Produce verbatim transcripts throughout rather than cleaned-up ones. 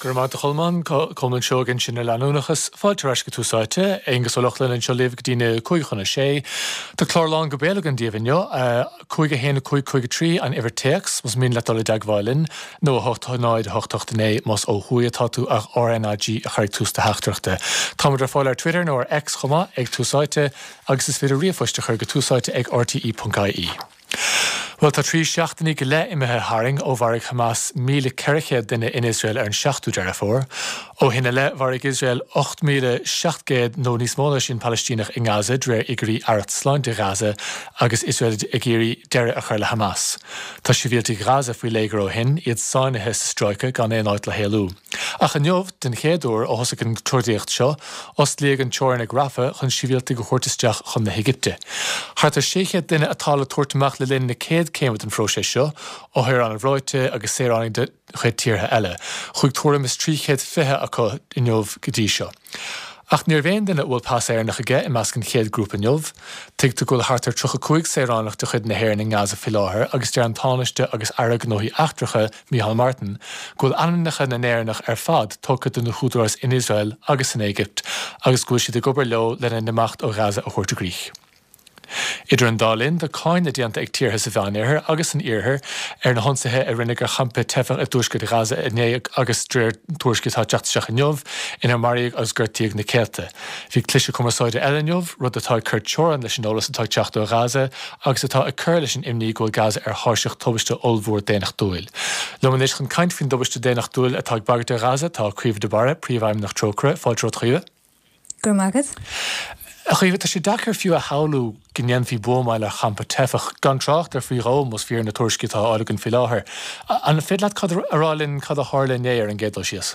Go raibh maith agat a Cholmáin, Colmán Seoighe ansin ar leanúnachas. Fáilte ar ais go Tús Áite, Aonghus Ó Lochlainn anseo libh go dtí na cúig chun a sé. Tá clár lán go béal againn daoibh inniu, cúig a haon a cúig cúig a trí an uimhir téacs, más mian leat dul i dteagmháil linn, nó a hocht náid a hocht hocht a naoi más ó thuaidh atá tú ach RnaG a chur ag tús do theachtaireachta. Táimid ar fáil ar Twitter nó ar X chomh maith ag Tús Áite agus is féidir ríomhphost a chur go túsáite ag rte.ie. Bhuel tá trí seachtainí go leith imithe tharainn ó mharaigh Hamas míle ceithre chéad duine in Iosrael ar an seachtú Deireadh Fómhair. Ó shin i leith mharaigh Iosrael ocht míle seacht gcéad nó níos mó ná sin Palaistíneach i nGaza de réir fhigiúirí Aireacht Sláinte Ghaza agus Iosrael ag iarraidh deireadh a chur le Hamas. Tá sibhialtaigh Ghaza faoi léigear ó shin, iad sáinnithe sa stráice gan aon áit le héalú. Ach inniu, den chéad uair ó thosaigh an trodaíocht seo, osclaíodh an teorainn ag Rafah chun sibhialtaigh a thabhairt isteach chun na hÉigipte. Thart ar sé chéad duine atá le tabhairt amach le linn na céad céime den phróiseas seo, othair an-bhreoite agus saoránaigh de chuid tíortha eile. Chuaigh tuairim is trí chéad fiche acu inniu go dtí seo. Ach ní raibh aon duine a bhfuil pas Éireannach aige i measc an chéad grúpa inniu. Tuigtear go bhfuil thart ar tríocha cúig saoránach de chuid na hÉireann i nGaza faoi láthair agus deir an Tánaiste agus Aire Gnóthaí Eachtracha Micheál Martin go bhfuil ainmneacha na nÉireannach ar fad tugtha do na húdaráis in Iosrael agus san Éigipt agus go bhfuil siad ag obair leo lena n-imeacht ó Ghaza a thabhairt i gcrích. Idir an dá linn, tá cáineadh déanta ag tíortha sa Mheánoirthear agus san Iarthar ar na hionsaithe a rinneadh ar champa teifeach i dtuaisceart Ghaza inné agus de réir tuairiscí atá ag teacht isteach inniu, inar maraíodh agus gortaíodh na céadta. Bhí cliseadh cumarsáide eile inniu, rud atá ag cur teorainn leis an eolas atá ag teacht ó Ghaza agus atá ag cur leis an imní go bhfuil Gaza ar thairseach tubaiste ollmhór daonnachtúil. Liom anois chun caint faoin dtubaiste daonnachtúil atá ag bagairt ar Ghaza tá Caoimhe de Barra, Príomhfheidhmeannach Trócaire, fáilte romhat a Chaoimhe. Go raibh maith agat. A Chaoimhe, tá sé deacair fiú a shamhlú go ndéanfaí buamáil ar champa teifeach, gan trácht ar faoi dhó más fíor na tuairiscí atá á fháil againn faoi láthair. An féidir leat cad a rá linn cad a tharla inné ar an gcéad dul síos?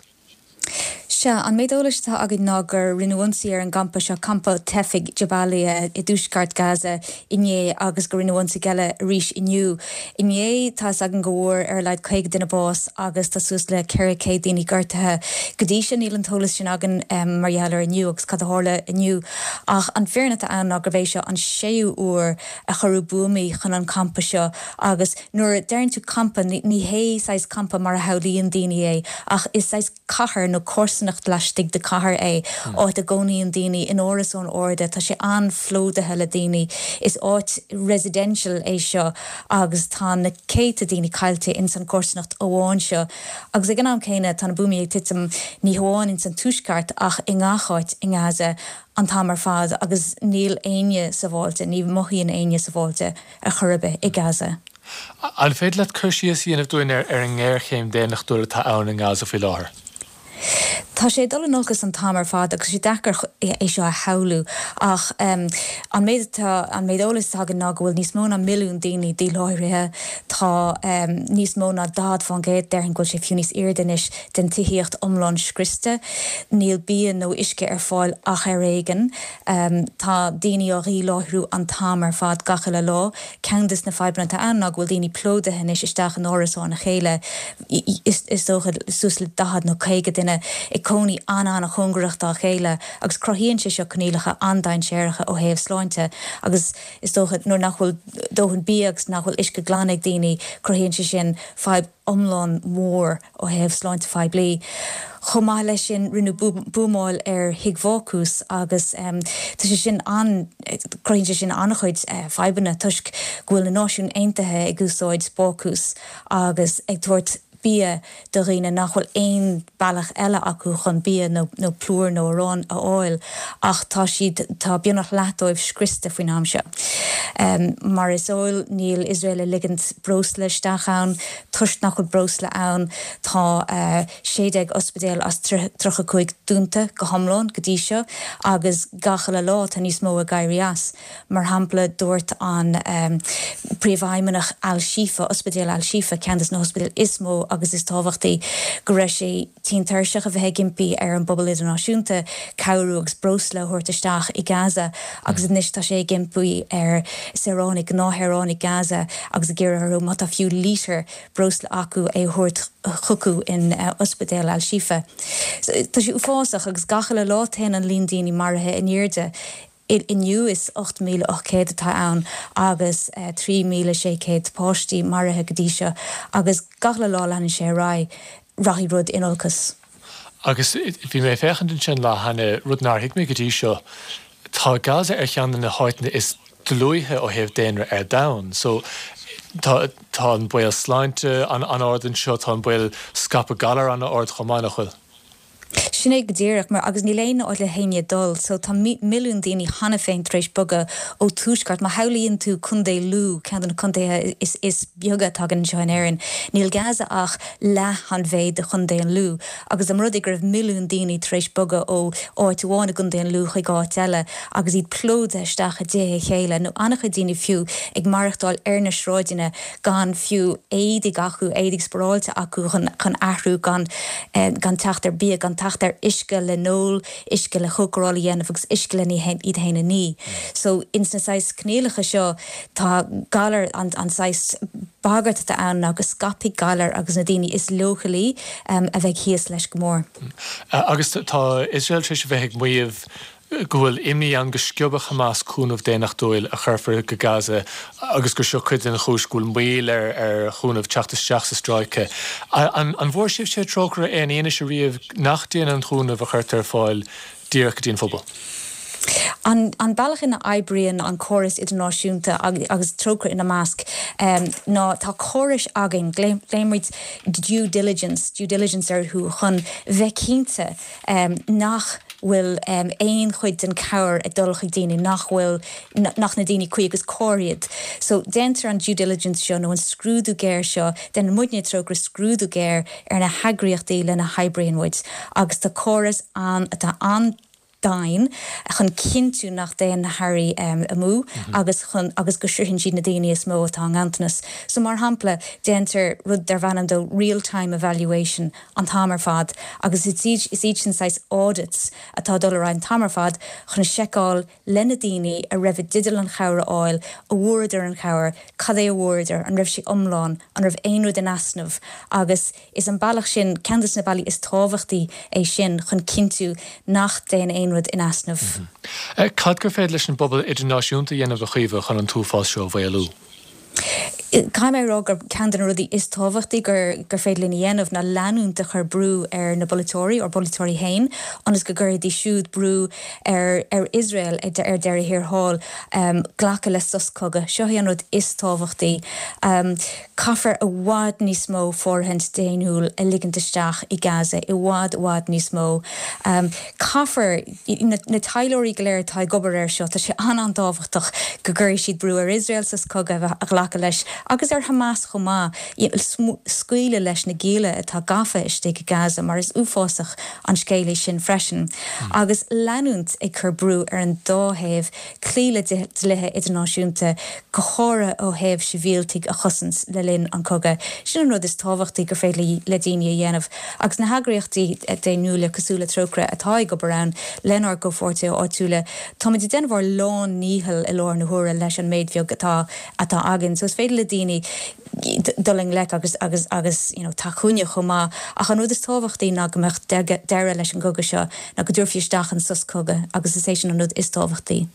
Sea, an méid eolais atá againn ná gur rinneadh ionsaí ar an gcampa seo, campa teifigh Jabalia i dtuaisceart Gaza inné agus gur rinneadh ionsaí eile arís inniu. Inné, tá 'fhios againn go bhfuair ar a laghad caoga duine bás agus tá suas le ceithre chéad daoine gortaithe. Go dtí seo níl an t-eolas sin againn mar gheall ar inniu agus cad a tharla inniu. Ach an fírinne atá ann ná gurb é seo an séú uair a cuireadh buamaí chun an campa seo agus nuair a deireann tú campa ní hé saghas campa mar a shamhlaíonn daoine é ach is saghas cathair nó comharsanacht laistigh de cathair é, áit a gcónaíonn daoine in árasáin arda, tá sé an-phlódaithe le daoine. Is áit residential é seo agus tá na céadta daoine caillte ins an chomharsanacht amháin seo. Agus ag an am céanna tá na buamaí ag titim ní hamháin ins an tuaisceart ach i ngach áit i nGaza an t-am ar fad agus níl éinne sábháilte, ní mhothaíonn éinne sábháilte ar chor ar bith i Gaza. An féidir leat cur síos a dhéanamh dúinn ar an ngéarchéim daonnachtúil atá ann i nGaza faoi láthair? Tá sé ag dul in olcas an t-am ar fad agus sé deacair é seo a shamhlú ach an méid atá an méid eolais atá againn ná go bhfuil níos mó ná milliún daoine díláithrithe, tá níos mó ná daichead faoin gcéad, déarfainn go bhfuil sé fiú níos airde anois, den tithíocht iomlán scriosta. Níl bia nó uisce ar fáil ach ar éigean. Tá daoine á dhíláithriú an t-am ar fad gach uile lá. Ceann des na fadhbanna atá ann ná go bhfuil daoine plódaithe anois isteach in árasáin a chéile, is dócha suas le daichead nó caoga duine ag cónaí an-an-chóngarach dá chéile agus cruthaíonn sé seo coinníollacha an-dainséaracha ó thaobh sláinte agus is dócha nuair nach bhfuil dóthain bia agus nach bhfuil uisce glan ag daoine cruthaíonn sé sin fadhb iomlán mór ó thaobh sláinte phoiblí. Chomh maith leis sin rinneadh buamáil ar thigh bhácús agus tá sé sin an cruthaíonn sé sin an-chuid fadhbanna toisc go bhfuil na Náisiúin Aontaithe ag úsáid bácús agus ag tabhairt bia do dhaoine nach bhfuil aon bealach eile acu chun bia nó nó plúr nó arán a fháil ach tá siad tá beagnach leath dóibh scriosta faoin am seo. Mar is eol níl Iosrael ag ligint breosla isteach ann toisc nach bhfuil breosla ann tá sé déag ospidéal as tríocha cúig dúnta go hiomlán go dtí seo agus gach uile lá tá níos mó ag éirí as. Mar shampla dúirt an Príomhfheidhmeannach Al-Shifa, Ospidéal Al-Shifa, ceann de na hospidéil is mó agus is tábhachtaí, go raibh sé tinn tuirseach a bheith ag impí ar an bpobal idirnáisiúnta cabhrú agus breosla a thabhairt isteach i Gaza agus anois tá sé ag impí ar saoránaigh, gnáthshaoránaigh Gaza agus ag iarraidh orthu má tá fiú lítear breosla acu é a thabhairt chucu in Ospidéal Al-Shifa. Tá sé uafásach agus gach uile lá téann an líon daoine maraithe in airde. Inniu is ocht míle ocht céad atá ann agus trí míle sé chéad páistí maraithe go dtí seo agus gach uile lá leanann sé ar aghaidh, rachaidh rud in olcas. Agus bhí mé ag féachaint ansin lá cheana, rud nár thuig mé go dtí seo, tá Gaza ar cheann de na háiteanna is dlúithe ó thaobh daonra ar domhan. So tá tá an baol sláinte an-ard anseo, tá an baol scaipeadh galar an-ard chomh maith, nach bhfuil? Sin é go díreach, mar agus níl aon áit le héinne dul, so tá milliún daoine cheana féin tar éis bogadh ó tuaisceart. Má shamhlaíonn tú Contae Lú, ceann de na contaetha is is beaga atá againn anseo in Éirinn, níl Gaza ach leath an mhéid de Chontae an Lú. Agus an rud é go raibh milliún daoine tar éis bogadh ó áit amháin i gContae an Lú chuig áit eile agus iad plódaithe isteach i dtithe a chéile, nó an-chuid daoine fiú ag maireachtáil ar na sráideanna gan fiú éadaigh acu, éadaigh spáráilte acu chun chun athrú, gan gan teacht ar bia, gan teacht ar uisce le n-ól, uisce le cócaráil a dhéanamh agus uisce le iad féin a ní. So ins na saghas coinníollacha seo tá galar an an saghas bagairt atá ann ná go scaipfidh galar agus na daoine is leochailí a bheidh thíos leis go mór. Agus tá Iosrael tar éis a bheith ag maíomh go bhfuil imní ann go sciobfadh Hamas cúnamh daonnachtúil a chuirfear go Gaza agus gur seo cuid den chúis go bhfuil moill ar ar chúnamh teacht isteach sa stráice. An an bhfuair sibhse Trócaire aon fhianaise riamh nach dtéann an cúnamh a chuirtear ar fáil díreach go dtí an phobal? An an bealach ina oibríonn an córas idirnáisiúnta agus Trócaire ina measc ná tá córais againn, glaonn muid due diligence, due diligence orthu chun bheith cinnte nach bhfuil aon chuid den chabhair ag dul chuig daoine nach bhfuil, nach na daoine cuí agus cóir iad. So déantar an due diligence seo nó an scrúdú géar seo, déanann muidne Trócaire scrúdú géar ar na heagraíochtaí lena hoibríonn muid agus tá córas ann atá an-dian chun cinntiú nach dtéann na hearraí amú agus chun agus go sroicheann siad na daoine is mó atá i nganntanas. So mar shampla, déantar rud darb ainm dó real time evaluation an t-am ar fad agus is iad is iad sin saghas audits atá ag dul ar aghaidh an t-am ar fad chun seiceáil le na daoine a raibh i dteideal an chabhair a fháil, an bhfuaireadar an chabhair, cad é a bhfuaireadar, an raibh sé iomlán, an raibh aon rud in easnamh agus is an bealach sin, ceann de na bealaí is tábhachtaí é sin chun cinntiú nach dtéann aon rud in easnamh. Cad gur féidir leis an bpobal idirnáisiúnta a dhéanamh a Chaoimhe chun an t-uafás seo a mhaolú? Caithfidh mé a rá gur ceann de na rudaí is tábhachtaí gur gur féidir linn a dhéanamh ná leanúint de chur brú ar na bpolaiteoirí, ár bpolaiteoirí féin, ionas go gcuirfidís siúd brú ar ar Iosrael ar deireadh thiar thall glacadh le sos cogaidh. Seo é an rud is tábhachtaí. Caithfear i bhfad níos mó fóirithint daonnúil a ligint isteach i Gaza, i bhfad, i bhfad níos mó. Caithfear, na taidhleoirí go léir atá ag obair air seo, tá sé an-an-tábhachtach go gcuirfidh siad brú ar Iosrael sos cogaidh a ghlacadh leis agus ar Hamas chomh maith, scaoileadh leis na gialla atá gafa istigh i Gaza mar is uafásach an scéal é sin freisin, agus leanúint ag cur brú ar an dá thaobh cloí le dlíthe idirnáisiúnta, go háirithe ó thaobh sibhialtaigh a chosaint le linn an chogaidh. Sin an rud is tábhachtaí gur féidir le daoine a dhéanamh. Agus na heagraíochtaí daonnúla cosúil le Trócaire atá ag obair ann lenár gcomhpháirtithe áitiúla, táimid ag déanamh ár lán-ndícheall i láthair na huaire leis an méid bheag atá atá againn. So is féidir le daoine dul i ngleic agus agus agus you know tacú linn chomh maith. Ach an rud is tábhachtaí ná go mbeadh deireadh leis an gcogadh seo, ná go dtabharfaí isteach an sos cogaidh agus is é sin an rud is tábhachtaí.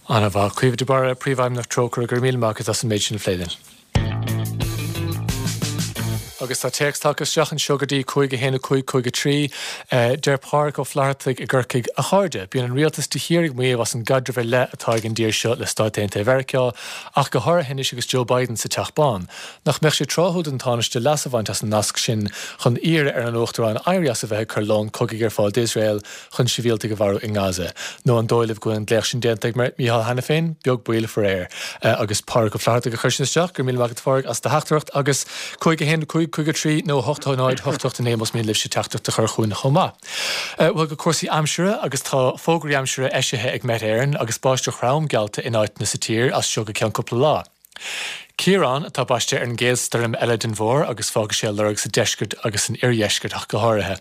An-mhaith. Caoimhe de Barra, Príomhfheidhmeannach Trócaire, go raibh míle maith agat as an méid sin a phlé linn. Agus tá téacs tagtha isteach anseo go dtí cúig a haon a cúig cúig a trí. Deir Pádraig Ó Flathartaigh i gCorcaigh, A chairde, bíonn an rialtas de shíor ag maíomh as an gcaidreamh ar leith atá ag an dtír seo le Stáit Aontaithe Mheiriceá, ach go háirithe anois agus Joe Biden sa Teach Bán. Nach mbeadh sé tráthúil don Tánaiste leas a bhaint as an nasc sin chun iarraidh ar an Uachtarán éirí as a bheith ag cur lón cogaidh ar fáil d'Iosrael chun sibhialtaigh a mharú i nGaza? Nó an dóigh libh go bhfuil an glaoch sin déanta ag Micheál cheana féin? Beag baol, faraor. Agus Pádraig Ó Flathartaigh a chuir sin isteach. Go raibh míle maith agat a Phádraig as do theachtaireacht agus cúig a haon a cúig cúig a trí nó a hocht a náid hocht hocht a naoi más mian libhse teachtaireacht a chur chugainn chomh maith. Bhuel, go cúrsaí aimsire agus tá fógraí aimsire eisithe ag Met Éireann agus báisteach throm geallta in áiteanna sa tír as seo go ceann cúpla lá. Ciarán atá baiste ar an gcéad stoirm eile den bhfómhar agus fágfaidh sé a lorg sa deisceart agus san oirdheisceart ach go háirithe.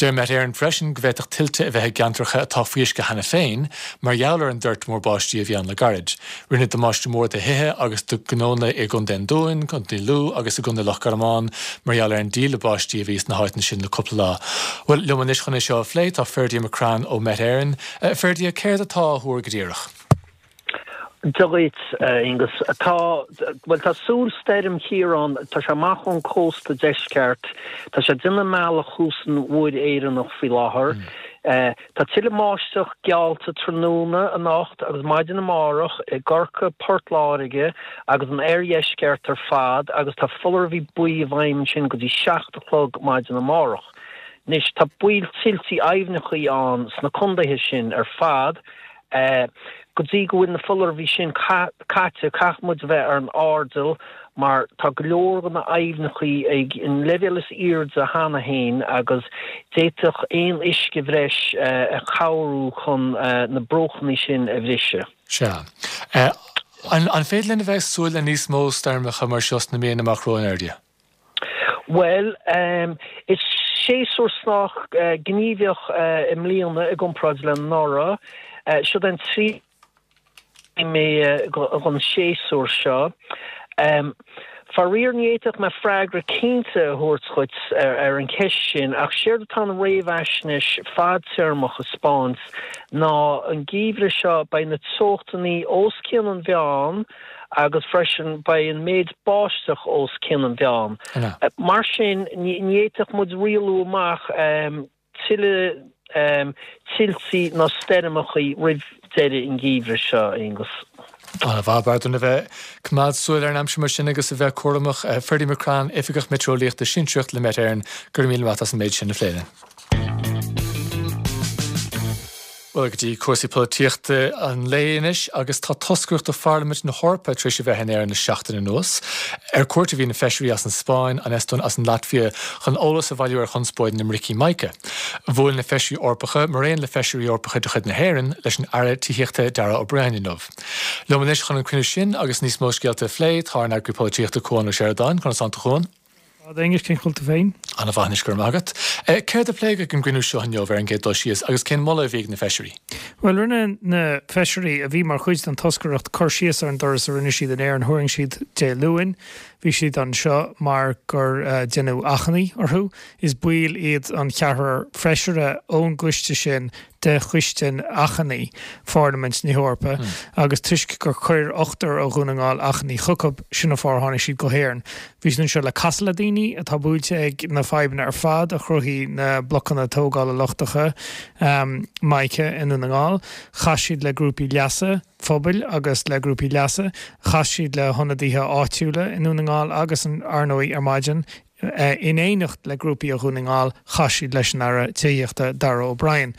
Deir Met Éireann freisin go bhféadfadh tuilte a bheith i gceantracha atá faoi uisce cheana féin mar gheall ar an dtoirt mhór báistí a bhí ann le gairid. Rinneadh damáiste mór do thithe agus do ghnónna i gContae an Dúin, Contae Lú agus i gContae Loch Garman mar gheall ar an díle báistí a bhí sna háiteanna sin le cúpla lá. Bhuel, liom anois chun é seo a phlé tá Ferdia McCrann ó Met Éireann. Ferdia, céard atá á thuar go díreach? Dia dhuit, Aonghus. Tá, bhuel, tá súil stoirm Chiarán, tá sé amach ón cósta deisceart, tá sé ag déanamh a mbealach thuas an Mhuir Éireannach faoi láthair. Tá tuilleadh báisteach geallta tráthnóna anocht agus maidin amárach i gCorcaigh, Port Láirge agus an oirdheisceart ar fad agus tá foláireamh buí i bhfeidhm ansin go dtí seacht a chlog maidin amárach. Anois, tá baol tuiltí aibhneachaí ann sna condaetha sin ar fad. Go dtí go bhfuil na foláireamh sin caite, caithfidh muid a bheith ar an airdeall mar tá go leor de na aibhneachaí ag an leibhéal is airde cheana féin agus d'fhéadfadh aon uisce bhreis a chabhrú chun na bruachanna sin a bhriseadh. Sea. An féidir linn a bheith ag súil le níos mó stoirmeacha mar seo sna míonna amach romhainn, a Fheirdí? Bhuel, is séasúr sách gníomhach i mbliana i gcomparáid le anuraidh. Seo an tríú mí den séasúr seo. Faraor ní fhéadfadh mé freagra cinnte a thabhairt dhuit ar an cheist sin ach séard atá an réamhaisnéis fadtéarmach a 'spáint ná an geimhreadh seo beidh na teochtanna os cionn an mheáin agus freisin beidh an méid báisteach os cionn an mheáin. Mar sin ní fhéadfadh muid rialú amach tuilleadh tuiltí ná stoirmeachaí roimh deireadh an gheimhridh seo, Aonghus. Ana-mhaith, b'fhearr dúinn a bheith ag coimeád súil ar an aimsir mar sin agus a bheith cúramach. Ferdie McCrann, Oifigeach Meitéareolaíochta Sinsearach le Met Éireann, go raibh míle maith agat as an méid sin a phlé linn. Bhuel, go dtí cúrsaí polaitíochta an lae anois agus tá toscaireacht ó Pharlaimint na hEorpa tar éis a bheith in Éirinn le seachtain anuas. Ar cuairt a bhí na feisirí as an Spáinn, an Eastóin as an Laitvia chun eolas a bhailiú ar chonspóid na mbricí mica. Bhuail na feisirí Eorpacha, mar aon le feisirí Eorpacha de chuid na hÉireann, leis an Aire Tithíochta Darragh O'Brien inniu. Liom anois chun an cruinniú sin agus níos mó scéalta a phlé tá ár n-eagraí polaitíochta Cuan Ó Seireadáin, conas tánn tú a Chuain? Fad Aonghus, cén chaoi a bhfuil tú féin? Ana-mhaith anois, go raibh maith agat. Céard a pléadh ag an gcruinniú seo inniu ar an gcéad dul síos agus cén moladh a bhí ag na feisirí? Bhuel, rinne na feisirí a bhí mar chuid den toscaireacht cur síos ar an dturas a rinne siad in Éirinn. Tharraing siad Dé Luain. Bhí siad anseo mar gur deineadh achainí orthu. Is baill iad an ceathrar feisire ón gcoiste sin de Choiste Achainí Pharlaimint na hEorpa agus toisc gur chuir ochtar ó Dhún na nGall achainí chucu, sin an fáth ar tháinig siad go hÉirinn. Bhí siad anseo le casadh le daoine atá buailte ag na fadhbanna ar fad a chruthaigh na blocanna tógála lochtacha mica i nDún na nGall. Chas siad le grúpaí leasa phobail agus le grúpaí leasa. Chas siad le hionadaithe áitiúla i nDún na nGall agus, ar ndóigh, ar maidin In éineacht le grúpaí ó Dhún na nGall, chas siad leis an Aire Tithíochta, Darragh O'Brien.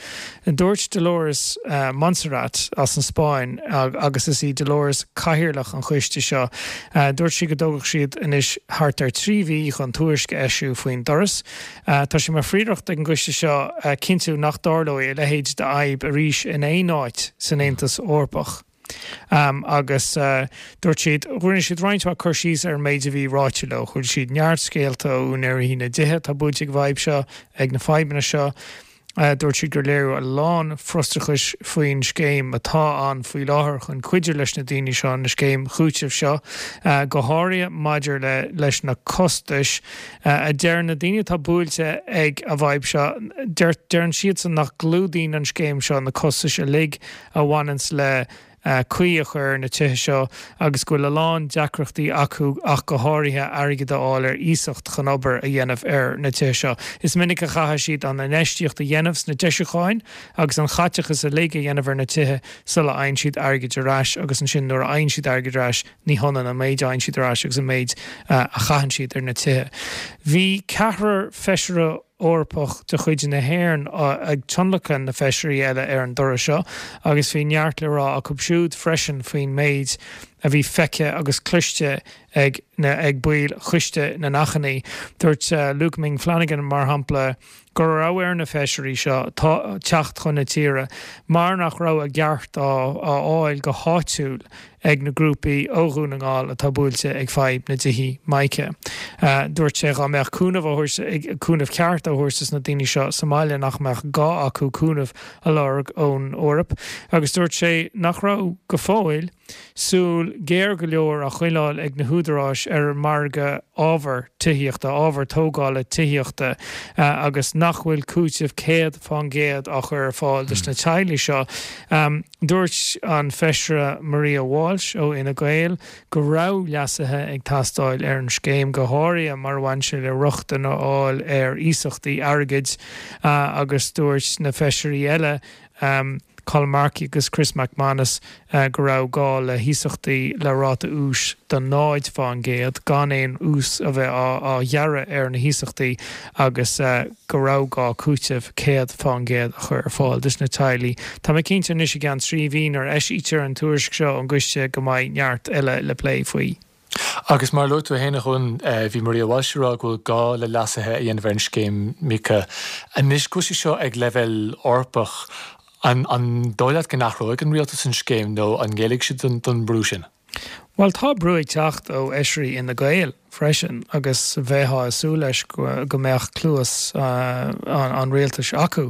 Dúirt Dolores Montserrat as an Spáinn, agus is í Dolores cathaoirleach an choiste seo, dúirt sí go dtógfadh siad anois thart ar trí mhí chun tuairisc a eisiú faoin dturas. Tá sé mar phríoracht ag an gcoiste seo cinntiú nach dtarlóidh a leithéid d'fhadhb arís in aon áit san Aontas Eorpach. Agus dúirt siad, rinne siad roinnt mhaith cur síos ar an méid a bhí ráite leo. Chuala siad neart scéalta ó úinéirí na dtithe atá buailte ag an bhfadhb seo, ag na fadhbanna seo. Dúirt siad gur léiriú a lán frustrachais faoin scéim atá ann faoi láthair chun cuidiú leis na daoine seo, an scéim chúitimh seo, go háirithe maidir le leis na costais a deir na daoine atá buailte ag an bhfadhb seo. Deireann siadsan nach gclúdaíonn an scéim seo na costais uilig a bhaineanns le caoi a chur ar na tithe seo agus go bhfuil a lán deacrachtaí acu ach go háirithe airgead a fháil ar iasacht chun obair a dhéanamh ar na tithe seo. Is minic a chaithfidh siad an infheistíocht a dhéanamh sna deisiúcháin agus an chaiteachas uilig a dhéanamh ar na tithe sula fhaigheann siad airgead ar ais agus ansin nuair a fhaigheann siad airgead ar ais ní hionann an méid a fhaigheann siad ar ais agus an méid a chaitheann siad ar na tithe. Bhí ceathrar feisire Eorpach de chuid na hÉireann ag tionlacan na feisirí eile ar an dturas seo agus bhí neart le rá acu siúd freisin faoin méid a bhí feicthe agus cloiste ag na ag baill Choiste na nAchainí. Dúirt Luke Ming Flanagan, mar shampla, go raibh ar na feisirí seo teacht chun na tíre mar nach raibh a gceart á fháil go háitiúil ag na grúpaí ó Dhún na nGall atá buailte ag fadhb na dtithí mica. Dúirt sé dhá mbeadh cúnamh á thabhairt, cúnamh ceart á thabhairt dos na daoine seo sa mbaile nach mbeadh gá acu cúnamh a lorg ón Eoraip agus dúirt sé nach raibh go fóill súil súil géar go leor á choinneáil ag na húdaráis ar an margadh ábhar tithíochta, ábhar tógála tithíochta agus nach bhfuil cúiteamh céad fán gcéad á chur ar fáil dos na teaghlaigh seo. Dúirt an Feisire Maria Walsh ó Fhine Gael go raibh leasuithe ag teastáil ar an scéim, go háirithe mar a bhain sé le rochtain a fháil ar iasachtaí airgid agus dúirt na feisirí eile, Colm Markey agus Chris MacManus go raibh gá le hiasachtaí le ráta úis de náid fán gcéad, gan aon ús a bheith á ghearradh ar na hiasachtaí agus go raibh gá cúiteamh céad fán gcéad a chur ar fáil dos na teaghlaigh. Tá mé cinnte anois i gceann trí mhí nuair a eisítear an tuairisc seo ón gcoiste go mbeidh neart eile le plé faoi. Agus mar a luaigh tú féin a Chuain, bhí Maria Walsh ag rá go bhfuil gá le leasuithe a dhéanamh ar an scéim Mica. Anois go bhfuil sé seo ag leibhéal Eorpach, an dóigh leat go n-athróidh an rialtas an scéim nó an ngéillfidh siad don brú sin? Bhuel, tá brú ag teacht ó fheisirí Fhine Gael freisin agus bheifeá ag súil leis go mbeadh cluas an rialtais acu.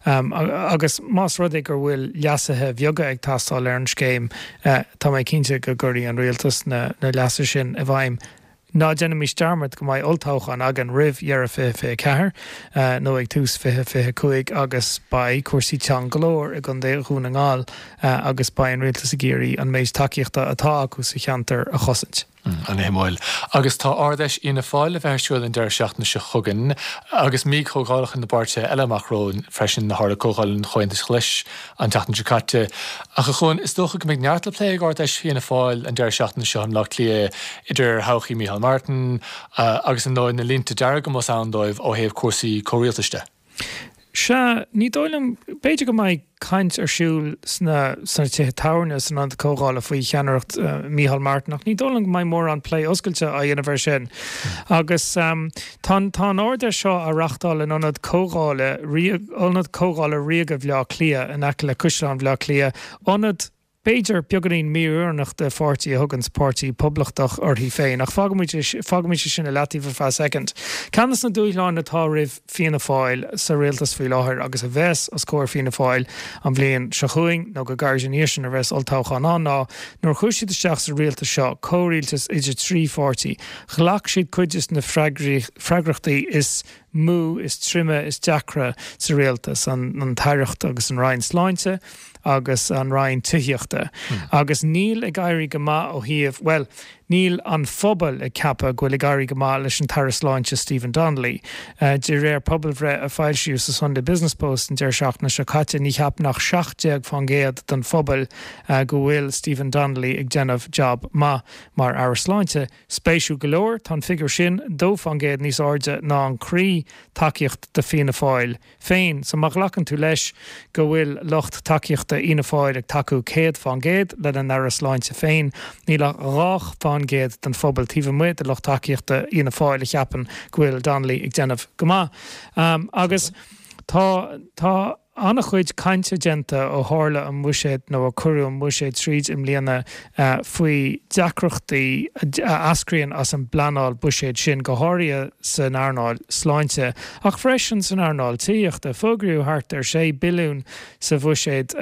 Agus más rud é go bhfuil leasuithe beaga ag teastáil ar an scéim, tá mé cinnte go gcuirfidh an rialtas na leasuithe sin i bhfeidhm. Ná déanaimis dearmad go mbeidh olltoghchán againn roimh dheireadh fiche fiche ceathair nó ag tús fiche fiche cúig agus beidh cúrsaí teann go leor i gContae Dhún na nGall agus beidh an rialtas ag iarraidh an méid tacaíochta atá acu sa cheantar a chosaint. An-shuimiúil. Agus tá Ard-Fheis Fhianna Fáil le bheith ar siúl an deireadh seachtaine seo chugainn agus mí comhdhálacha na bpáirtithe eile amach romhainn freisin, tharla Comhdháil an Chomhaontais Ghlais an tseachtain seo caite. Ach a Chuain, is dócha go mbeidh neart le plé ag Ard-Fheis Fianna Fáil an deireadh seachtaine seo i mBleá Cliath, idir thodhchaí Micheál Martin agus ar ndóigh na línte dearga más ann dóibh ó thaobh cúrsaí comhrialtais de. Sea, ní dóigh liom, b'fhéidir go mbeidh caint ar siúl sna sna tithe tábhairne san ionad comhdhála faoi cheannaireacht Micheál Martin ach ní dóigh liom go mbeidh mórán plé oscailte á dhéanamh air sin. Agus tá tá an Ard-Fheis seo á reachtáil in ionad comhdhála Ionad Comhdhála Ríoga Bhaile Átha Cliath in aice le Caisleán Bhaile Átha Cliath, ionad b'fhéidir beagáinín mí-oiriúnach do pháirtí a thuganns Páirtí Poblachtach uirthi féin, ach fágfaimid fágfaimid é sin i leataobh ar feadh soicind. Ceann de na dúshláin atá roimh Fianna Fáil sa rialtas faoi láthair agus a bheas os comhair Fianna Fáil an bhliain seo chugainn nó go gairid ina dhiaidh sin nuair a bheas olltoghchán ann ná nuair a chuaigh siad isteach sa rialtas seo, comhrialtas idir trí pháirtí, ghlac siad cuid de na freagrachtaí is mó, is troime, is deacra sa rialtas, an tAireacht agus an Roinn Sláinte agus an Roinn Tithíochta. Agus níl ag éirí go maith ó thaobh, bhuel, níl an phobal ag ceapadh go bhfuil ag éirí go maith leis an tAire Sláinte Stephen Donnelly. De réir pobalbhreith a foilsíodh sa Sunday Business Post an deireadh seachtaine seo caite, ní cheapann ach seacht déag fán gcéad den phobal go bhfuil Stephen Donnelly ag déanamh jab maith mar Aire Sláinte. Spéisiúil go leor, tá an figiúr sin dó fán gcéad níos airde ná an croí tacaíocht do Fianna Fáil féin. So má ghlacann tú leis go bhfuil lucht tacaíochta Fhianna Fáil ag tacú céad fán gcéad lena n-aire sláinte féin, níl ach dhá fán gcéad den phobal taobh amuigh de lucht tacaíochta Fhianna Fáil a cheapann go bhfuil Donnelly ag déanamh go maith. Agus tá, tá. an-chuid cainte déanta ó tharla an buiséad nó ó cuireadh an buiséad tríd i mbliana faoi deacrachtaí a eascraíonn as an bpleanáil buiséid sin, go háirithe san earnáil sláinte ach freisin san earnáil tithíochta. Fógraíodh thart ar sé billiún sa bhuiséad,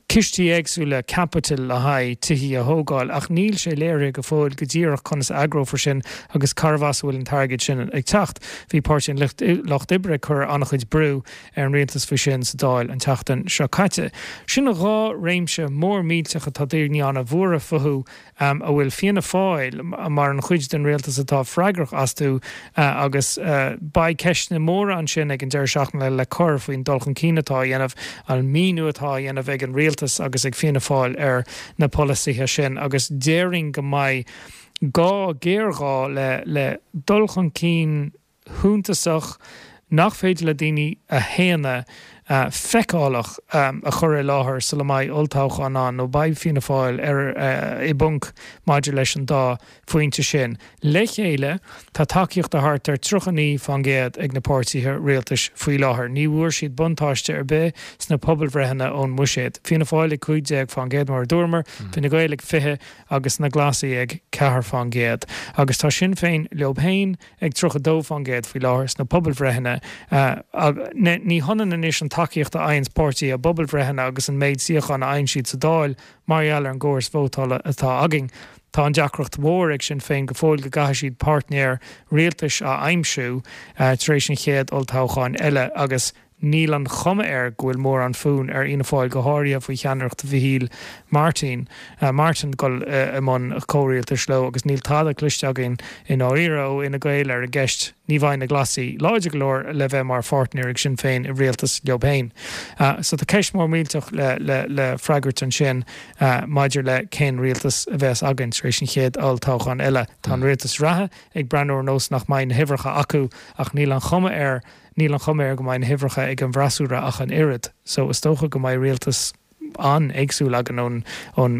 cistí éagsúla caipitil le haghaidh tithí a thógáil ach níl sé léirithe go fóill go díreach conas a eagrófar sin agus cárbh as a bhfuil an t-airgead sin ag teacht. Bhí Páirtí an Lucht Oibre ag cur an-chuid brú ar an rialtas faoi sin sa Dáil an tseachtain seo caite. Sin dhá réimse mór millteach atá daoine an-bhuartha fúthu a bhfuil Fianna Fáil mar an chuid den rialtas atá freagrach astu agus beidh ceisteanna móra ansin ag an deireadh seachtaine le cur faoin dul chun cinn atá á dhéanamh, an míniú atá á dhéanamh ag an rialtas agus ag Fianna Fáil ar na polasaithe sin agus déarfainn go mbeidh gá, géarghá le le dul chun cinn shuntasach nach féidir le daoine a shéanadh, feiceálach a chur i láthair sula mbeidh olltoghchán ann nó beidh Fianna Fáil ar i bponc maidir leis an dá phointe sin. Le chéile, tá tacaíocht de thart ar tríocha naoi fán gcéad ag na páirtithe rialtais faoi láthair. Ní bhfuair siad buntáiste ar bith sna pobalbhreitheanna ón mbuiséad. Fianna Fáil ag cúig déag fán gcéad mar a dúramar, Fine Gael ag fiche agus na Glasaigh ag ceathair fán gcéad. Agus tá Sinn Féin leo féin ag tríocha dó fán gcéad faoi láthair sna pobalbhreitheanna. Ní hionann anois an tacaíocht a fhaigheanns páirtí i bpobalbhreitheanna agus an méid suíochán a fhaigheann siad sa Dáil mar gheall ar an gcóras vótála atá againn. Tá an deacracht mhór ag Sinn Féin go fóill go gcaithfidh siad páirtnéir rialtais a aimsiú tar éis an chéad olltoghcháin eile agus níl an chuma air go bhfuil mórán fonn ar Fhianna Fáil, go háirithe faoi cheannaireacht Mhichíl Martin, Martin dul i mbun comhrialtais leo agus níl tada cloiste againn i ndáiríre ó Fhine Gael ar an gceist. Ní bheidh na Glasaigh láidir go leor le bheith mar pháirtnéir ag Sinn Féin i rialtas leo féin. So tá ceist mór millteach le le le freagairt ansin maidir le cén rialtas a bheas againn tar éis an chéad olltoghchán eile. Tá an rialtas reatha ag breathnú ar nós nach mbeidh na huimhreacha acu ach níl an chuma air Níl an chuma air go mbeidh na huimhreacha ag an bhfreasúra ach an oiread, so is dócha go mbeidh rialtas an-éagsúil againn ón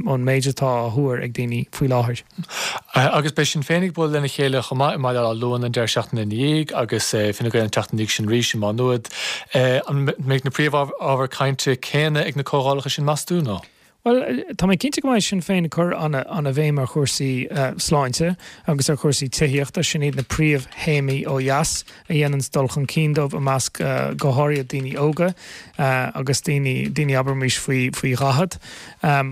ón méid atá á thuar ag daoine faoi láthair. Agus beidh Sinn Féin ag bualadh lena chéile chomh maith i mBaile Átha Luain an deireadh seachtaine ina dhiaidh agus Fine Gael an tseachtain ina dhiaidh sin arís i Má Nuad. An mbeidh na príomhábhair cainte céanna ag na comhdhálacha sin meas tú, nó? Bhuel, tá mé cinnte go mbeidh Sinn Féin ag cur ana-bhéim ar chúrsaí sláinte agus ar chúrsaí tithíochta. Sin iad na príomhthéamaí ó dheas a dhéananns dul chun cinn dóibh i measc go háirithe daoine óga agus daoine, daoine abraimis faoi, faoi dhaichead.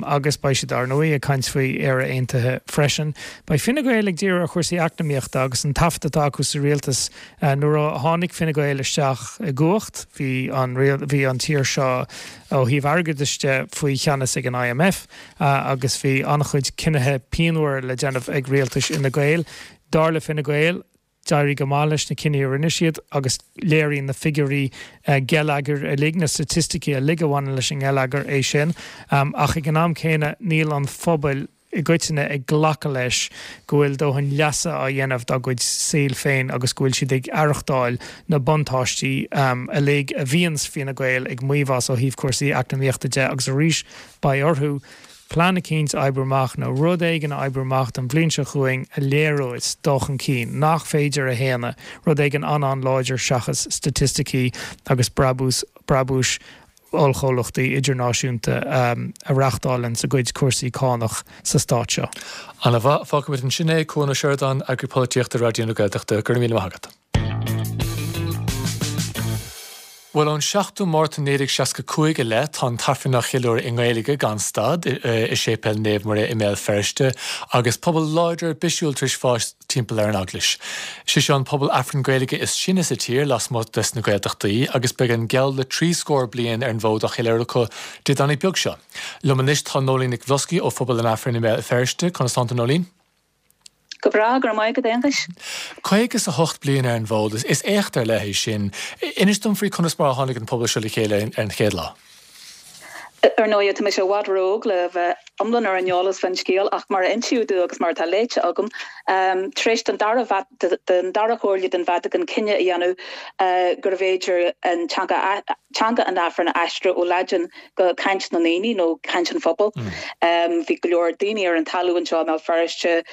Agus beidh siad, ar ndóigh, ag caint faoi Éire Aontaithe freisin. Beidh Fine Gael ag díriú ar chúrsaí eacnamaíochta agus an taifead atá acu sa rialtas. Nuair a tháinig Fine Gael isteach i gcumhacht bhí an, bhí an tír seo, ó thaobh airgeadais de faoi cheannas ag an I M F agus bhí an-chuid cinnithe pianmhara le déanamh ag rialtais Fhine Gael. Dar le Fine Gael, d'éirigh go maith leis na cinní a rinne siad agus léiríonn na figiúirí geilleagair uilig, na staitisticí uilig a bhaineann leis an ngeilleagar é sin. Ach ag an am céanna níl an phobal i gcoitinne ag glacadh leis go bhfuil dóthain leasa á dhéanamh dá gcuid saoil féin agus go bhfuil siad ag aireachtáil na buntáistí uilig a bhíonns Fine Gael ag maíomh as ó thaobh cúrsaí eacnamaíochta de agus arís beidh orthu plean eicínt a oibriú amach nó rud éigin a oibriú amach don bhliain seo chugainn a léireos dul chun cinn nach féidir a shéanadh, rud éigin an-an-láidir seachas staitisticí agus brabús brabúis ollchomhlachtaí idirnáisiúnta a reáchtálanns a gcuid cúrsaí cánach sa stát seo. Ana mhaith, fágfaimid ansin é, Cuan Ó Seireadáin, Eagraí Polaitíochta Raidió na Gaeltachta, go raibh míle maith agat. Bhuel, ón seachtú Márta naoi déag seasca cúig i leith, tá an tAifreann á cheiliúradh i nGaeilge gan stad i Séipéal Naomh Muire i mBéal Feirste agus pobal láidir bisiúil tar éis fás timpeall ar an eaglais. Sé seo an pobal Aifrinn Gaeilge is sine sa tír lasmuigh des na Gaeltachtaí agus beidh an geall le trí scór bliain ar an bhfód á cheiliúradh acu Dé Domhnaigh beag seo. Liom anois tá Nóinín Nic Bhloscaidh ó Phobal an Aifrinn i mBéal Feirste. Conas tánn tú Nóinín? Go breá, go raibh maith agat Aonghus. Caoga is a hocht bliain ar an bhfód, is éacht ar leith é sin. Inis dom faoi conas mar a tháinig an pobal seo le chéile ar an chéad lá. Ar ndóigh, tá mise i bhfad ró-óg le bheith iomlán ar an eolas faoin scéal, ach mar a insíodh domh agus mar atá léite agam, tar éis don dara don dara Chomhairle den Vatacáin cinneadh a dhéanamh gurbh fhéidir an teanga teanga an Aifrinn a aistriú ó Laidin go caint na ndaoine nó caint an phobail. Bhí go leor daoine ar an talamh anseo i mBéal Feirste,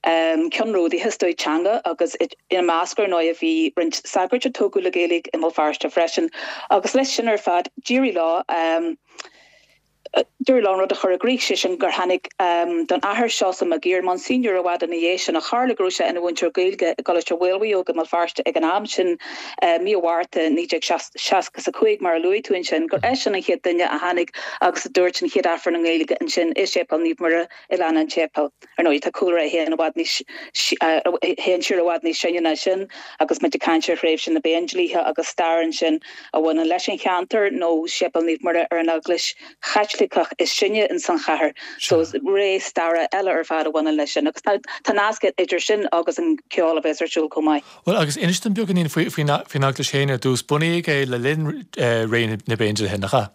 ceannródaithe is dóigh teanga agus ina measc ar ndóigh bhí roinnt sagairt a tógadh le Gaeilge i mBéal Feirste freisin agus leis sin ar fad d'éirigh leo d'éirigh leo an rud a chur i gcrích, sé sin gur tháinig don Athair Seosamh Mac Uidhir, Monsignor i bhfad ina dhiaidh sin ach tharla go raibh sé ina mhúinteoir Gaeilge i gColáiste Mhaolmhaodhóg i mBéal Feirste ag an am sin, mí Mhárta naoi déag seasca is a cúig mar a luaigh tú ansin, gur eisean an chéad duine a tháinig agus a dúirt an chéad Aifreann i nGaeilge ansin i Séipéal Naomh Muire i Lána an tSéipéil. Ar ndóigh, tá cúlra a théann i bhfad níos a théann siar i bhfad níos sine ná sin agus muid ag caint ar thréimhse na bPéindlíthe agus stair ansin a bhaineann leis an cheantar nó Séipéal Naomh Muire ar an eaglais Chaitliceach is sine ins an chathair. So ré staire eile ar fad a bhaineann leis sin agus tá tá nasc idir sin agus an ceol a bheas ar siúl chomh maith. Bhuel, agus inis dom beagáinín faoi faoin faoin eaglais féin ar dtús. Bunaíodh é le linn ré na bPéindlíthe, nach ea?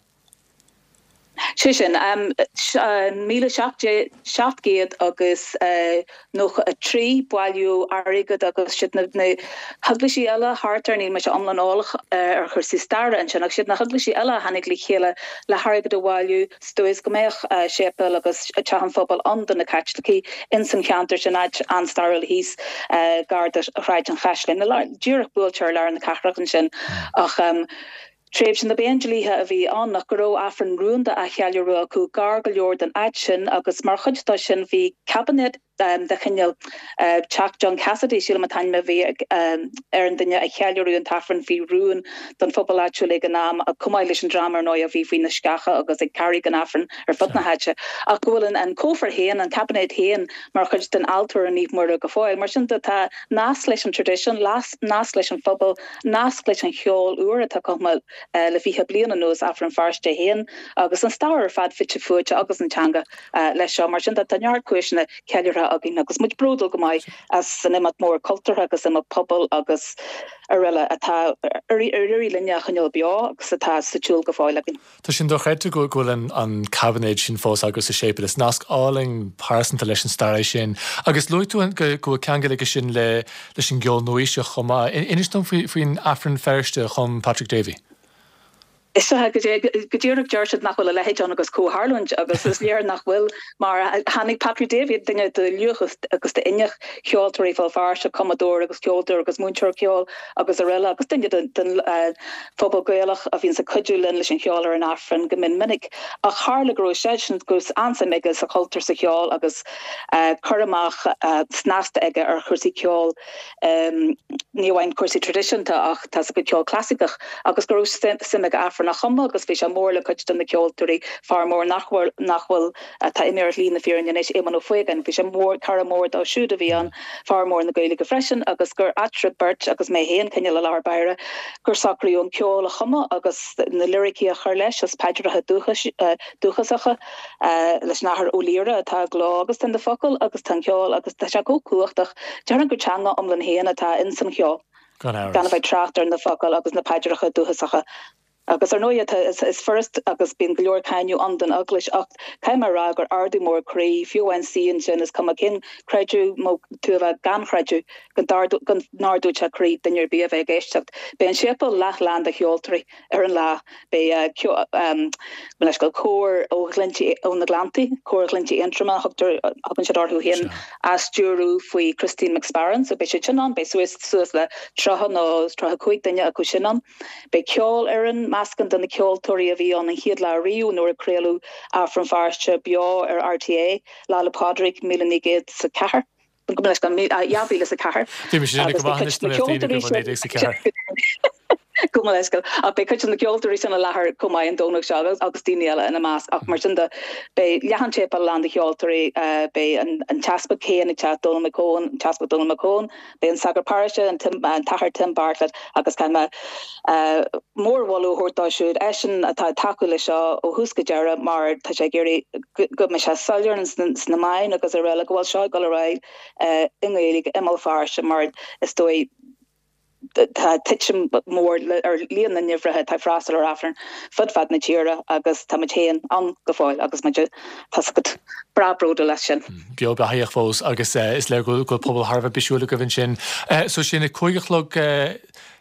Sé sin, míle seacht gcéad agus nócha a trí, bailíodh airgead agus siad na heaglaisí eile thart air, níl mise iomlán eolach ar chúrsaí staire ansin, ach siad na heaglaisí eile a tháinig le chéile le hairgead a bhailiú sa dóigh is go mbeadh séipéal agus teach an phobail ann do na Caitlicigh ins an cheantar sin, áit an-stairiúil thíos gar do Shráid an Chaisleáin, díreach buailte ar lár na cathrach ansin. Ach. Tréimhse na bPéindlíthe a bhí ann ach go raibh Aifreann rúnda á cheiliúradh acu gar go leor don áit sin agus mar chuid dó sin bhí caibinéad de chineál teach John Cassidy, sílim an t-ainm a bhí ar an duine a cheiliúradh an t-Aifreann faoi rún don phobal áitiúil ag an am, chomh maith leis an dream ar ndóigh a bhí faoi na sceacha agus ag Carraig an Aifrinn ar fud na háite, ach go bhfuil an cófra féin, an caibinéad féin mar chuid den altóir i Naomh Muire go fóill. Mar sin de tá nasc leis an traidisiún, nasc leis an phobal, nasc leis an cheol úr atá cumtha le fiche bliain anuas, Aifreann Feirste féin agus an stair ar fad fite fuaite agus an teanga leis seo. Mar sin de tá neart cúiseanna ceiliúrtha againn agus muid bródúil go maith as an imeacht mór cultúrtha agus imeacht pobail agus araile atá ar éirigh linne a choinneáil beo agus atá sa tsiúl go fóill againn. Tá sin dochreidte go bhfuil an caibinéad sin fós agaibh sa séipéal. Is nasc álainn pearsanta leis an stair é sin. Agus luaigh tú go bhfuil ceangal aige sin leis an gceol nua-aoiseach chomh maith. Inis dom faoin Aifreann Feirste a chum Patrick Davey. Is ea, go díreach deir siad nach bhfuil a leithéid ann agus comhtharlúint agus is léir nach bhfuil mar tháinig Patrick Davey, duine de luach agus d'inneach cheoltóirí Bhéal Feirste, cumadóir agus ceoltóir agus múinteoir ceoil agus araile agus duine den phobal Gaelach a bhíonns ag cuidiú linn leis an cheol ar an Aifreann go mion minic. Ach tharla go raibh seisean, go raibh an-suim aige sa chultúr, sa cheol agus cur amach snasta aige ar chúrsaí ceoil, ní amháin cúrsaí traidisiúnta ach tá 's agat ceol clasaiceach agus go raibh suim aige Aifreann a chumadh agus bhí sé mór le cuid de na ceoltóirí, fear mór nach bhfuil, nach bhfuil, atá imithe ar shlí na fírinne anois, Éamonn Ó Faogáin, bhí sé mór, cara mór dó siúd a bhí ann, fear mór na Gaeilge freisin agus gur eatarthu beirt agus mé féin cineál i lár báire gur socraíodh an ceol a chumadh agus na liricí a chur leis as paidreacha dúchais, dúchasacha leis an Athair Ó Laoire atá i gcló agus tá na focail agus tá an ceol agus tá sé chomh cumhachtach. Déarfainn gur teanga iomlán féin atá ins an cheol. Gan amhras. Gan a bheith ag trácht ar na focail agus na paidreacha dúchasacha. Agus ar ndóigh, is furast agus bíonn go leor cáineadh ann don Eaglais ach caithfidh mé a rá gur ardú mór croí, fiú amháin suí ansin, is cuma cén creideamh nó tú a bheith gan chreideamh, go n-ardódh sé croí duine ar bith a bheith ag éisteacht. Beidh an séipéal leath-lán de cheoltóirí ar an lá. Beidh leithscéal, cór ó Ghleanntaí, ó na Gleanntaí, Cór Ghleanntaí Aontroma a thugtar, thugann siad orthu féin, á stiúradh faoi Christine McSparron, so beidh siad sin ann, beidh suas suas le tríocha nó tríocha cúig duine acu sin ann. Beidh ceolfhoireann, meascán de na ceoltóirí a bhí ann an chéad lá riamh nuair a craoladh Aifreann Feirste beo ar RTÉ, Lá 'le Pádraig míle naoi gcéad is a ceathair. Gabh mo leithscéal, dhá mhíle is a ceathair. Bhí mise ag go maith anois na daoine go naoi déag is a ceathair. Gabh mo leithscéal. Ach beidh cuid de na ceoltóirí sin i láthair chomh maith an Domhnach seo agus daoine eile ina measc. Ach mar sin de, beidh leath an tséipéil lán de cheoltóirí, beidh an tEaspag féin ag teacht, Dónal McCone, an tEaspag Dónal McCone, beidh an sagart paróiste, an tAthair Tim Bartlett agus caithfidh mé mórmholadh a thabhairt dó siúd, eisean atá ag tacú leis seo ó thús go deireadh mar tá sé ag iarraidh go mbeidh sé soiléir sna meáin agus araile go bhfuil seo ag dul ar aghaidh i nGaeilge i mBéal Feirste mar is dóigh tá titim mór ar líon na n-uimhreacha atá ag freastal ar Aifreann fud fad na tíre agus tá muid féin ann go fóill agus muid, tá's agat, breá bródúil as sin. Beo beathaíoch fós agus is léir go bhfuil pobal thar a bheith bisiúil agaibh ansin. So sin a cúig a chlog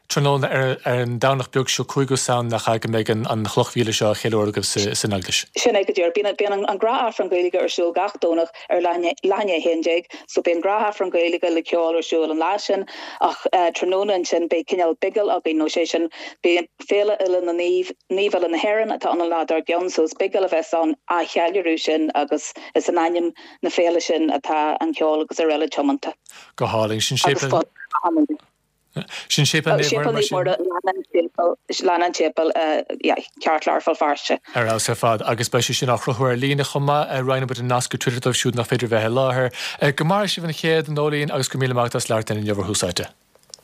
tráthnóna ar an Domhnach beag seo, cúigiú Samhain, nach ea, go mbeidh an chloch mhíle seo á cheiliúradh agaibh san Eaglais? Sin é go díreach. Bíonn an gnáthaifreann Gaeilge ar siúl gach Domhnach ar leath i ndiaidh a haon déag so beidh an gnáthaifreann Gaeilge le ceol ar siúl an lá sin ach tráthnóna ansin beidh cineál bigil againn nó sé sin beidh Féile Uile na Naomh, Naoimh Uile na hÉireann atá ann an lá dár gcionn so is bigil a bheas ann á cheiliúradh sin agus is in ainm na féile sin atá an ceol agus araile tiomanta. Go hálainn. Sin Agus séipéal. Sin Séipéal Naomh Muire mar sin? Lean an tséipéal ceartlár Bhéal Feirste. Ar fheabhas ar fad agus beidh sé sin á shruthú ar líne chomh maith. Roinnfidh muid an nasc ar Twitter dóibh siúd nach féidir bheith i láthair. Go maire sibh an chéad, Nóileen, agus go raibh míle maith agat as labhairt linn inniu ar Thús Áite.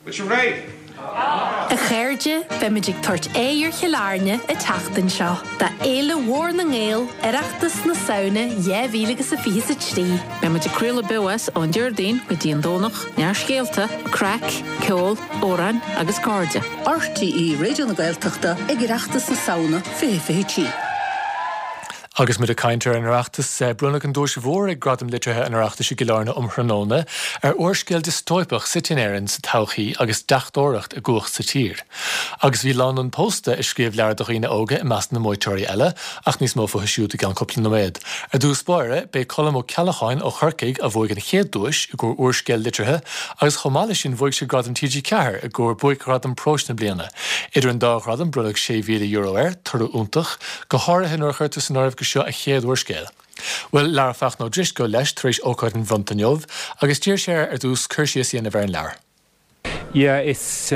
Bhfuil sibh réidh? A chairde, beimid ag tabhairt aghaidh ar Chill Airne an tseachtain seo do Fhéile Mhór na nGael, Oireachtas na Samhna dhá mhíle agus a fiche a trí. Beidh muid ag craoladh beo as ón Déardaoin go dtí an Domhnach, neart scéalta, craic, ceol, amhráin agus cairde. RTÉ Raidió na Gaeltachta ag Oireachtas na Samhna fiche fiche trí. Agus muid ag caint ar an Oireachtas, bronnadh an duais mhór ag Gradaim Liteartha an Oireachtais i gCill Airne um thráthnóna ar úrscéal diostóipeach suite in Éirinn sa todhchaí agus deachtóireacht i gcumhacht sa tír. Agus bhí lánúin pósta a scríobh leabhar do dhaoine óga i measc na mbuaiteoirí eile, ach níos mó fúthu siúd i gceann cúpla nóiméad. Ar dtús báire, b'é Colm Ó Ceallacháin ó Chorcaigh a bhuaigh an chéad duais i gcomhair úrscéal liteartha agus chomh maith leis sin bhuaigh sé Gradam T G ceathair i gcomhair buaicghradam próis na bliana. Idir an dá ghradam bronnadh sé mhíle euro air, toradh iontach, go háirithe nuair a chuirtear san áireamh gur seo a chéad úrscéal. Bhuel, labhair Fachtna Ó Drisceoil leis tar éis ócáid an bhronnta inniu agus d'iarr sé air ar dtús cur síos a dhéanamh ar an leabhar. Yeah, is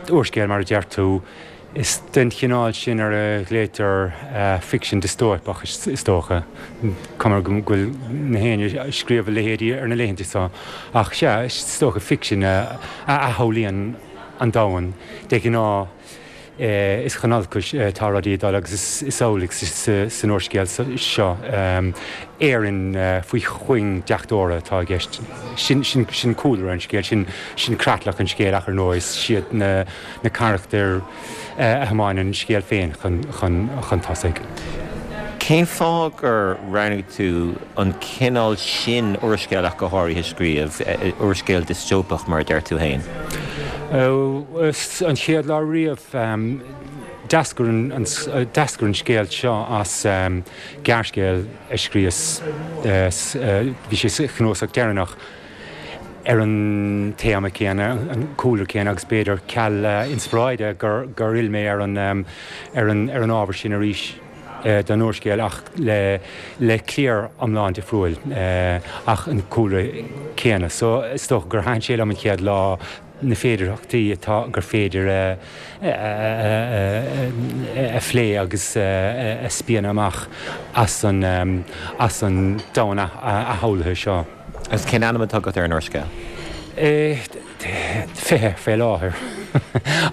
úrscéal mar a deir tú. Is den chineál sin ar a ghlaoitear ficsean diostóipeach is dócha. Cuma go bhfuil na héinne ag scríobh a leithéidí ar na laethanta seo. Ach sea, is dócha ficsean a athshamhlaíonn an domhan de ghnáth. Is chun olcais atá rudaí ag dul agus is amhlaidh san úrscéal seo. Éirinn faoi chuing deachtóra atá i gceist. Sin cúlra an scéil, sin creatlach an scéil ach ar ndóigh is iad na carachtair a thiomáineann an scéal féin chun tosaigh. Cén fáth gur roghnaigh tú an cineál sin úrscéil ach go háirithe a scríobh, úrscéal diostóipeach mar a deir tú féin? An chéad lá riamh, d'eascair an d'eascair an scéal seo as gearrscéal a scríos, bhí sé sa chnuasach deireanach, ar an téama céanna, an cúlra céanna agus b'fhéidir ceal inspioráide gur gur fhill mé ar an ar an ar an ábhar sin arís. don úrscéal ach le le cliar iomlán difriúil ach an cúlra céanna. So is dócha gur thaitin sé liom an chéad lá na féidearthachtaí atá gur féidir a a phlé agus a spíonadh amach as an as an domhan athshamhlaithe seo. Agus cén ainm atá agat ar an úrscéal? Fiche fé láthair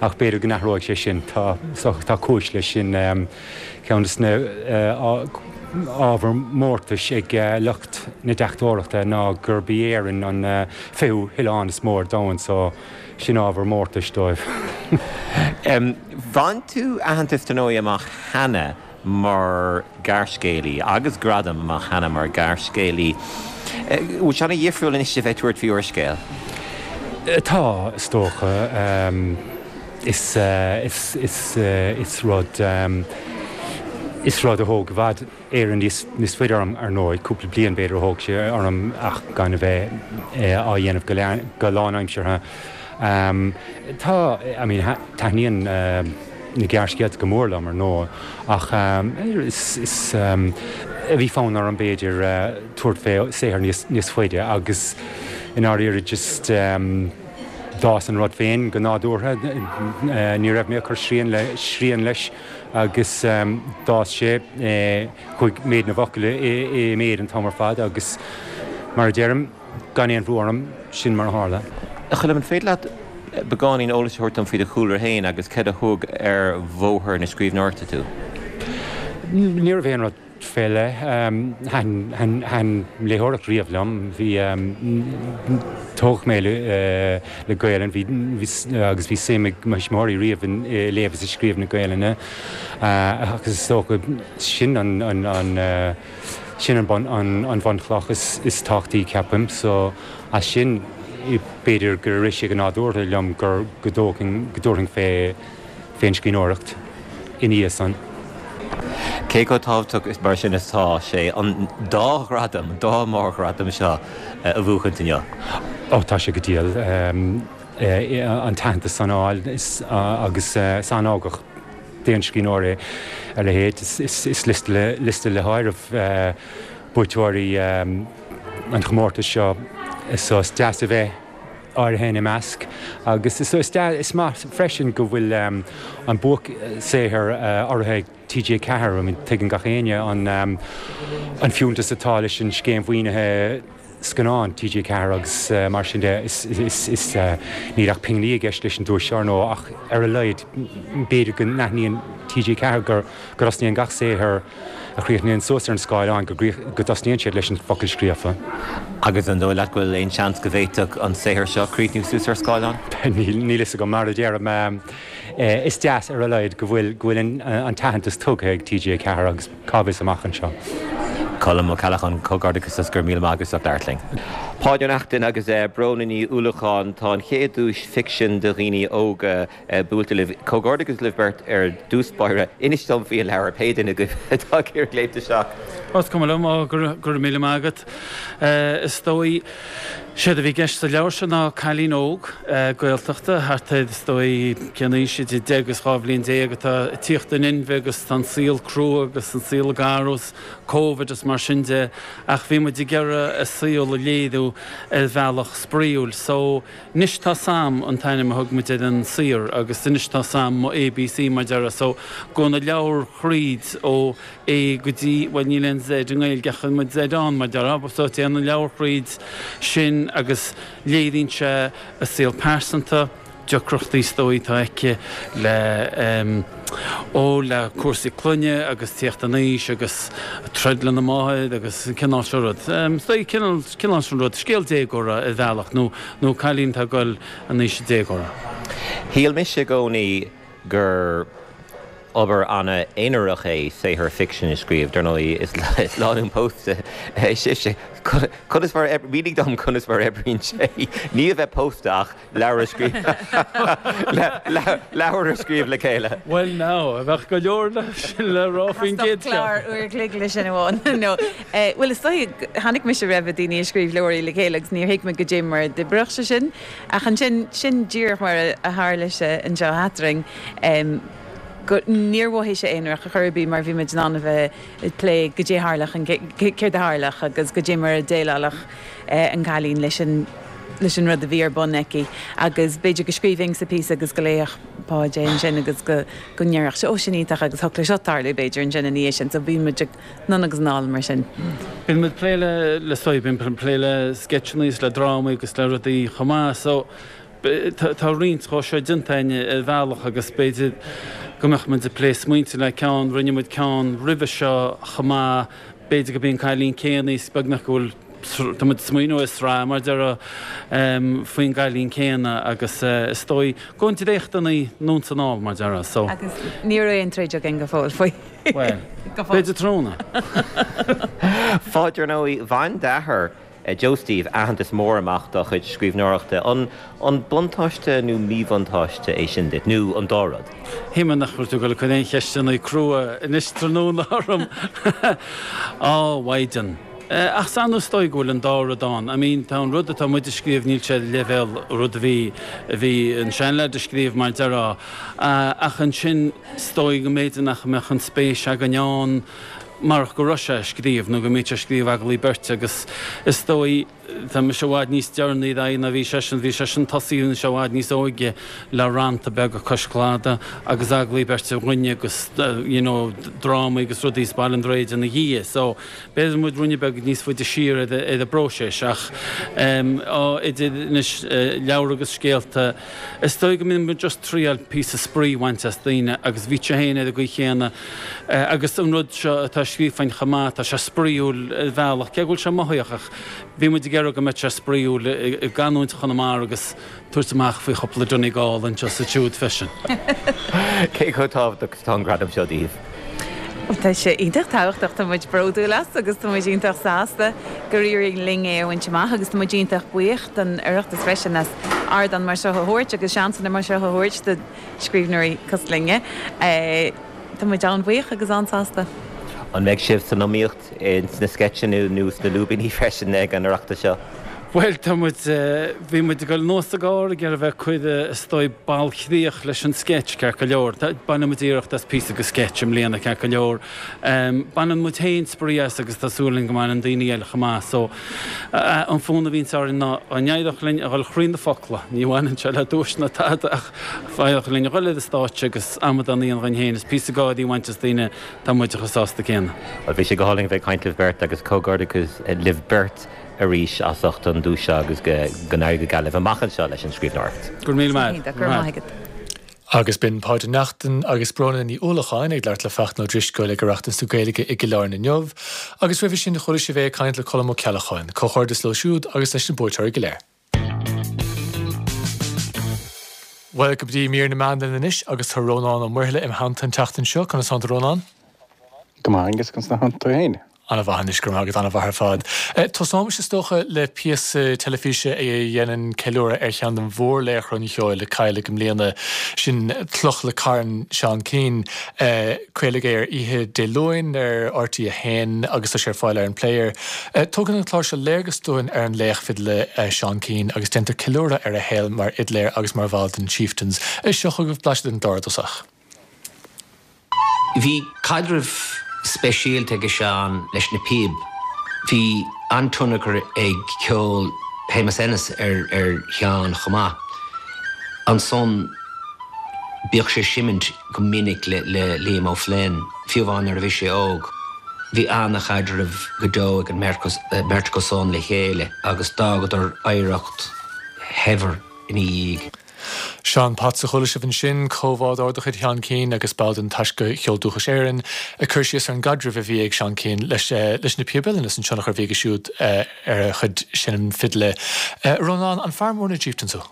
ach b'fhéidir go n-athróidh sé sin. Tá tá cúis leis sin. Ceann de na ábhair mórtais ag lucht na deachtóireachta ná gurb í Éirinn an fichiú hoileán is mó ar domhan so sin ábhar mórtais dóibh. Bhain tú aitheantas dar ndóigh amach cheana mar ghearrscéalaí agus gradam amach cheana mar ghearrscéalaí. Bhfuil sé an-dhifriúil anois a bheith ag tabhairt faoi úrscéal? Tá, is dócha. Is, is, is, is rud, is rud a thóg i bhfad Éireann níos, níos faide orm, ar ndóigh, cúpla bliain b'fhéidir a thóg sé orm ach gan a bheith á dhéanamh go, go lánaimseartha. Tá, I mean, taitníonn na gearrscéalta go mór liom, ar ndóigh, ach is, is, bhí fonn orm b'fhéidir tabhairt fé saothar níos, níos faide agus i ndáiríre just d'fhás an rud féin go nádúrtha, ní raibh mé ag cur srian le, srian leis agus d'fhás sé, chuaigh méid na bhfocal i méid an t-am ar fad agus mar a deirim, gan aon bhrú orm, sin mar a tharla. A Choilm, an féidir leat beagáinín eolais a thabhairt dom faoi do chúlra féin agus céard a thug ar bhóthar na scríbhneoireachta tú? Ní raibh aon rud fé leith. Thaitin léitheoireacht riamh liom. Bhí, tógadh mé le Gaelainn, bhí, agus bhí suim ag mo thuismitheoirí riamh i léamh is i scríobh na Gaelainne agus is dócha sin an, an, sin an bun, an bhunchloch is tábhachtaí ceapaim. So as sin b'fhéidir gur rith sé go nádúrtha liom gur go dtabharfainn fé fén scríbhneoireacht ina dhiaidh san. Cé chomh tábhachtach mar sin is atá sé an dá ghradam, an dá mhórghradam seo a bhuachaint inniu? Ó tá sé go diail an t-aitheantas san a fháil agus is an-ugach d'aon scríbhneoir é a leithéid. Is liosta le háireamh buaiteoirí an chomórtais seo so is deas a bheith áirithe ina measc agus is maith freisin go bhfuil an buaic-saothar urraithe ag T G ceathair. I mean tuigeann gach éinne an fiúntas atá leis an scéim mhaoinithe scannán T G ceathair agus mar sin de is níl ach pingní i gceist leis an duais seo ar ndóigh ach ar a laghad b'fhéidir go n-aithníonn T G ceathair go dtosnaíonn gach saothar a chríochnaíonn suas ar an scáileán go dtosnaíonn siad leis an bhfocal scríofa. Agus an dóigh leat go bhfuil aon seans go bhféadfadh an saothar seo críochnú suas ar scáileán? Níl fhios agam, mar a deirim, is deas ar a laghad go bhfuil go bhfuil an t-aitheantas tugtha ag T G ceathair agus cá bhfios amach anseo. Colm Ó Ceallacháin, comhghairdeachas agus go raibh míle maith agat as ucht labhairt linn. Páid Ó Neachtain agus Bróna Ní Uallacháin, tá an chéad duais ficsin do dhaoine óga buailte libh. Comhghairdeachas libh beirt ar dtús báire. Inis dom faoi an leabhar, pé duine agaibh atá ag iarraidh léimt isteach. Is cuma liom, go raibh míle maith agat. Is dóigh, séard a bhí i gceist sa leabhar seo ná cailín óg Gaeltachta, thart ar, is dóigh, cén aois, idir deich agus dhá bhliain déag, atá ag tíocht in inmhe agus tá an saol crua agus an saol ag athrú is Covid is mar sin de ach bhí muid ag iarraidh a saol a léiriú ar bhealach spraíúil. So, Anois Tá 'Sam an t-ainm a thug muid ar an saothar agus anois tá 'sam mo ABC mar déarfá. So, gabhann an leabhar thríd ó A go dtí, bhuel níl aon Z i nGaeilge ach chuir muid Z ann mar déarfá. So, téann an leabhar thríd sin agus léiríonn sé a saol pearsanta, deacrachtaí is dóigh atá aici le ó le cúrsaí clainne agus tíocht in aois agus troid lena máthair agus an cineál seo rud. Is dóigh cineál cineál sin rud, scéal déagóra ar bhealach nó nó cailín atá ag dul in aois an déagóra. Shíl mise i gcónaí gur obair an-aonarach é saothar ficsin a scríobh. Dar ndóigh, is lánúin pósta sibhse. Conas mar, mínigh dom conas mar oibríonn sé, ní a bheith pósta ach leabhar a scríobh, leabhar a scríobh le chéile. Bhuel now, bheadh go leor le rá faoin gcéad cheann. Clár uair a chloig le sin amháin. No, bhuel is dóigh, chonaic mise roimhe daoine ag scríobh leabhraí le chéile agus níor thuig mé goidé mar a d'oibreodh sé sin. Ach ansin, sin díreach mar a tharla sé anseo eadrainn. go níor mhothaigh sé aonarach ar chor ar bith mar bhí muid in ann a bheith ag plé goidé a tharlódh an céard a tharlódh agus goidé mar a dhéileálfadh an cailín leis an leis an rud a bhí ar bun aici agus b'fhéidir go scríobhainnse píosa agus go léifeadh Páid é ansin agus go go ndéarfadh sé ó sin iontach agus thiocfadh leis seo tarlú b'fhéidir ansin ina dhiaidh sin so bíonn muid ag anonn agus anall mar sin. Bíonn muid ag plé le le so bíonn ag plé le sceitseanna is le drámaí agus le rudaí chomh maith so Tá roinnt dhó seo déanta againn ar bhealach agus b'fhéidir go mbeadh muid ag plé smaointe le ceann, rinne muid ceann roimhe seo chomh maith, b'fhéidir gurb í an cailín céanna is beagnach go bhfuil, tá muid ag smaoineamh ar sraith mar déarfá faoin gcailín céanna agus is dóigh go bhfuil dréachtanna anonn is anall mar déarfá so. Agus ní raibh aon troid againn go fóill faoi. Bhuel, b'fhéidir tráthnóna. Pháid, ar ndóigh, bhain d'athair Joe Steve aitheantas mór amach dá chuid scríbhneoireachta. An an buntáiste nó míbhuntáiste é sin duit, nó an dá rud? Shíl mé nach raibh tú ag dul ag cur aon cheisteanna crua anois tráthnóna orm. Á, mhaighdean. Ach sea, nó is dóigh go bhfuil an dá rud ann. I mean, tá an rud atá muid a scríobh, níl sé ar leibhéal rud a bhí, a bhí an seanleaid a scríobh mar déarfá. Ach ansin, is dóigh go mb'fhéidir nach mbeadh an spéis againn ann, marach go raibh sé ag scríobh nó go mbíodh sé ag scríobh agallaí beirte agus is dóigh, tá mise i bhfad níos deireanaí ar aghaidh ná bhí seisean, bhí seisean tosaithe i bhfad níos óige le rannta beaga cois cladaigh agus agallaí beirte againne agus you know drámaí agus rudaí as Baile an Droichid ina dhiaidh so b'fhéidir muid ruainne beag níos faide siar ar an bpróiseas ach em á idir anois leabhar agus scéalta is dóigh go mbíonn muid just triail píosa spraoi a bhaint as daoine agus bhí sé féin ar an gcaoi chéanna Agus an rud seo atá scríofa againn chomh maith, tá sé spraíúil ar bhealach, cé go bhfuil sé mothaíoch, ach bhí muid ag iarraidh go mbeadh sé spraíúil i gcanúint Chonamara agus tabhairt amach faoi chúpla Donegal anseo is ansiúd freisin. Cé chomh tábhachtach is atá an gradam seo daoibh? Tá sé iontach tábhachtach, tá muid bródúil as agus tá muid iontach sásta gur éirigh linn é a bhaint amach agus tá muid iontach buíoch don Oireachtas freisin as ardán mar seo a thabhairt agus seansanna mar seo a thabhairt do scríbhneoirí cosúil linne. Tá muid an-bhuíoch agus an-sásta. An mbeidh sibh san iomaíocht sna sceitseanna nó sna lúibíní freisin ag an Oireachtas seo? Bhuel, tá muid, bhí muid ag dul anuas sa gcarr ag iarraidh a bheith ag cur, is dóigh, bailchríoch leis an sceits, ceart go leor. Bainfidh muid iarracht as píosa de sceits i mbliana, ceart go leor. Baineann muid féin spraoi as agus tá súil againn go mbaineann daoine eile chomh maith. So, an fonn a bhíonns orainn ná, dá n-éireodh linn a dhul thrí na focla, ní bhaineann sé le duais ná tada ach, Dá n-éireodh linn a dhul ar an stáitse agus amadán a dhéanamh dhínn féin is píosa gáirí a bhaint as daoine, tá muid chomh sásta céanna. Bhuel, bhí sé go hálainn a bheith ag caint libh beirt agus comhghairdeachas libh beirt arís as ucht an duais seo agus go n-éirí go geal libh amach anseo leis an scríbhneoireacht. Go raibh míle maith agat. Go raibh maith agat. Agus b'in Páid Ó Neachtain agus Bróna Ní Uallacháin ag labhairt le Fachtna Ó Drisceoil ag Oireachtas na Gaeilge i gCill Airne inniu. Agus roimhe sin chuala sibh é ag caint le Colm Ó Ceallacháin. Comhghairdeas leo siúd agus leis na buaiteoirí go léir. Bhuel, go dtí mír na meán linn anois agus tá Rónán Ó Muirthile im theannta an tseachtain seo. Conas tánn tú, Rónán? Go maith, Aengus, conas tánn tú féin? An-mhaith anois, go raibh maith agat, an-mhaith ar fad. Tosóimis is dócha le píosa teilifíse a dhéanann ceiliúradh ar cheann de mhórlaochra an cheoil a cailleadh i mbliana, sin Cloch le Carn, Seán Keane. Craoladh é ar oíche Dé Luain ar RTÉ a haon agus tá sé ar fáil ar an Player. Tugann an clár seo léargas dúinn ar an laoch fidle Seán Keane agus déantar ceiliúradh ar a shaol mar fhidléir agus mar bhall den Chieftains. Seo chugaibh blaiseadh den gclár i dtosach. Bhí caidreamh speisialta ag Seán leis na píob. Bhí an-tionchar ag ceol Shéamus Ennis ar ar Sheán chomh maith. Ansan bhíodh sé ag seimint go minic le le Liam O'Flynn, fiú amháin nuair a bhí sé óg. Bhí an-chaidreamh go deo ag an mbeirt acu san le chéile agus d'fhágadar oidhreacht shaibhir ina dhiaidh. Seán Potts a chuala sibh ansin, comhbhádóir de chuid Sheán Keane agus ball den Taisce Cheol Dúchais Éireann, ag cur síos ar an gcaidreamh a bhí ag Seán Keane leis leis na Píob Uilleann is an tionchar a bhí aige siúd ar a chuid seinm fidle. Rónán, an fear mór na Chieftains thú?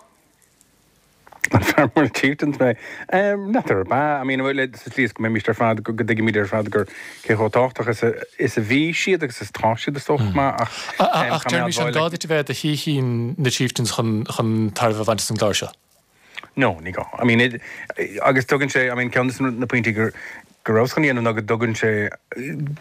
An fear mór na Chieftains mé? N'fheadar ab ea. I mean, sa tslí is go mbeimís ar fad, go dtuigimid ar fad gur cé chomh tábhachtach is a is a bhí siad agus is atá siad is dócha chomh maith ach Ach deirimís an gá duit a bheith i do shaoithín na Chieftains chun chun tairbhe a bhaint as an gclár seo? No, ní gá. I mean, it, agus tugann sé, I mean, ceann de na pointí gur go rabhas chun a dhéanamh ná go dtugann sé,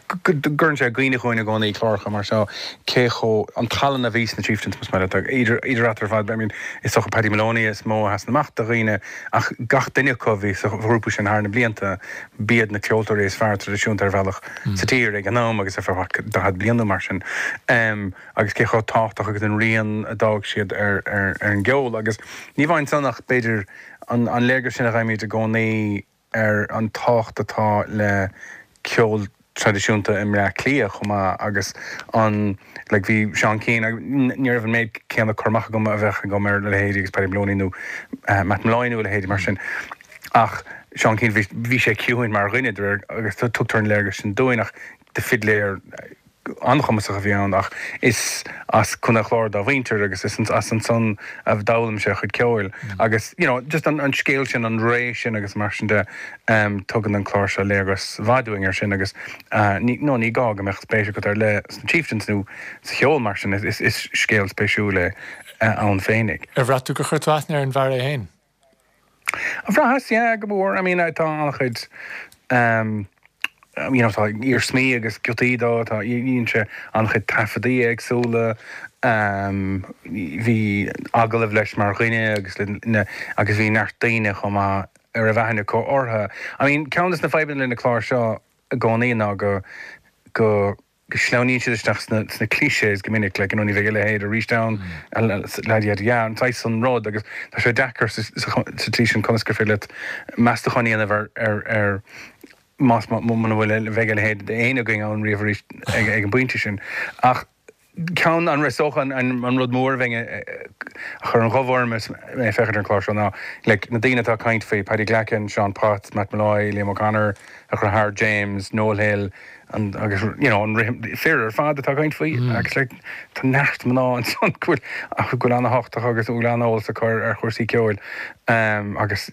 go gcuireann sé i gcuimhne chugainn i gcónaí cláracha mar seo cé chomh, an tallann a bhí sna Chieftains más maith leat, idir, idir eatarthu ar fad, I mean, is dócha Paddy Moloney is mó a sheasann amach do dhaoine ach gach duine acu a bhí sa ghrúpa sin thar na blianta, b'iad na ceoltóirí is fearr traidisiúnta ar bhealach sa tír ag an am agus ar feadh daichead bliain nó mar sin. Agus cé chomh tábhachtach agus an rian a d'fhág siad ar, ar, ar an gceol agus ní amháin san ach b'fhéidir an, an léargas sin a fhaighimid i gcónaí ar an tábhacht atá le ceol traidisiúnta i mBleá Cliath chomh maith agus an like bhí Seán Keane ní raibh an méid céanna cur amach agam a bheadh agam ar a leithéidí agus Paddy Moloney nó Matt Molloy nó a leithéidí mar sin ach Seán Keane bhí bhí sé ciúin mar dhuine de réir agus tugtar an léargas sin dúinn ach de fidléir an-chumasach a bhí ann ach is as Contae an Chláir dá mhuintir agus is as ansan a d'fhoghlaim sé a chuid ceoil agus you know just an an scéal sin, an ré sin agus mar sin de tugann an clár seo léargas mhaith dúinn ar sin agus ní no ní gá go mbeadh spéis agat ar leith sna Chieftains nó sa cheol mar sin, is is scéal spéisiúil é ann féinig. Ar bhraith tú gur chuir tú aithne ar an bhfear é féin? Bhraitheas, yeah, go mór. I mean, tá an-chuid you know, tá iarsmaí agus giotaí dó, tá, dhein sé an-chuid taifeadaí éagsúla, bhí agallaimh leis mar dhuine agus le, agus bhí neart daoine chomh maith a raibh aithne acu orthu. I mean, ceann de na fadhbanna le na cláir seo i gcónaí ná go, go, go sleamhnaíonn siad isteach sna sna clichés go minic, like, you know, ní bheidh a leithéid arís ann, yada yada, an saghas san rud agus tá sé deacair sa sa tslí sin conas gur féidir leat meastachán a dhéanamh ar ar ar más muna bhfuil bheidh a leithéid d'éinne againn ann riamh arís ag ag an bpointe sin. Ach ceann an is dócha an an rud mór a bheinn a chuir an ghoimh orm is mé ag féachaint ar an chlár seo ná like na daoine atá ag caint faoi, Paddy Glackin, Seán Potts, Matt Molloy, Liam O'Connor, a dheartháir James, Noel Hill, an agus you know an rithim fir ar fad atá ag caint faoi agus like tá neart mná ansan go bhfuil ach go bhfuil an-tábhachtach agus go bhfuil an-eolas acu ar ar chúrsaí ceoil um, agus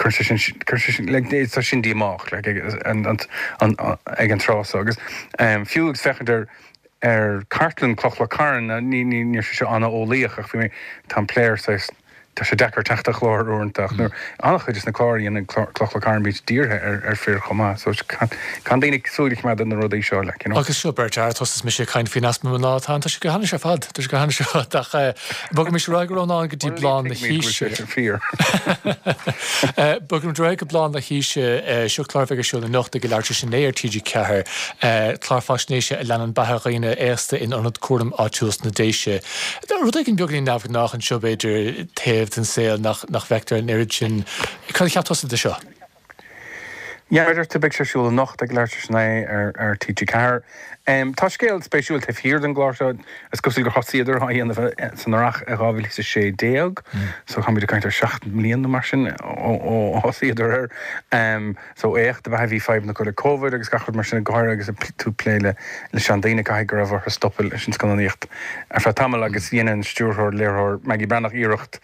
cuireann sé sin cuireann sé sin like tá sin díomách like ag an an an ag an tráth so agus um, fiú agus féachaint ar ar cartlann Cloch le Carn ní ní níl sé seo an-eolaíoch ach bhí mé tá an player saghas Tá sé deacair teacht ar chlár uaireanta ach nuair an-chuid de na cláir a dhéanann Cloch le Carn bíonn siad dírithe ar ar fir chomh maith so caithfidh daoine súil a choimeád ar na rudaí seo like you know. Agus seo beirt fhear, tusa is mise ag caint faoin easpa mná atá ann, tá sé go hainnis ar fad, tá sé go hainnis ar fad ach bogaimis ar aghaidh a Rónáin go dtí Bláth na hAoise. Fíor. Bogaimis ar aghaidh go Bláth na hAoise, seo clár a bheidh ar siúl anocht ag a leathuair tar éis a naoi ar T G ceathair, clár faisnéise a leanann beatha dhaoine aosta in ionad cúraim áitiúil sna Déise. Rud éigin beagáinín neamhghnách anseo b'fhéidir, taobh den saol nach nach bhfeictear an oiread sin. Cad a cheap tusa de seo? Yeah, mar a deir tú, beidh sé ar siúl anocht ag leathuair tar éis a naoi ar ar T G ceathair. Tá scéal spéisiúil taobh thiar den gclár seo. Is cosúil gur thosaíodar á dhéanamh san Earrach i dhá mhíle is a sé déag, so táimid ag caint ar seacht mbliana nó mar sin ó ó thosaíodar air. So éacht ab ea é, bhí fadhbanna acu le Covid agus gach rud mar sin, go háirithe agus tú ag plé le le seandaoine, caithfidh go raibh orthu stopadh leis an scannánaíocht ar feadh tamaill agus dhein an stiúrthóir, léiritheoir Maggie Breathnach iarracht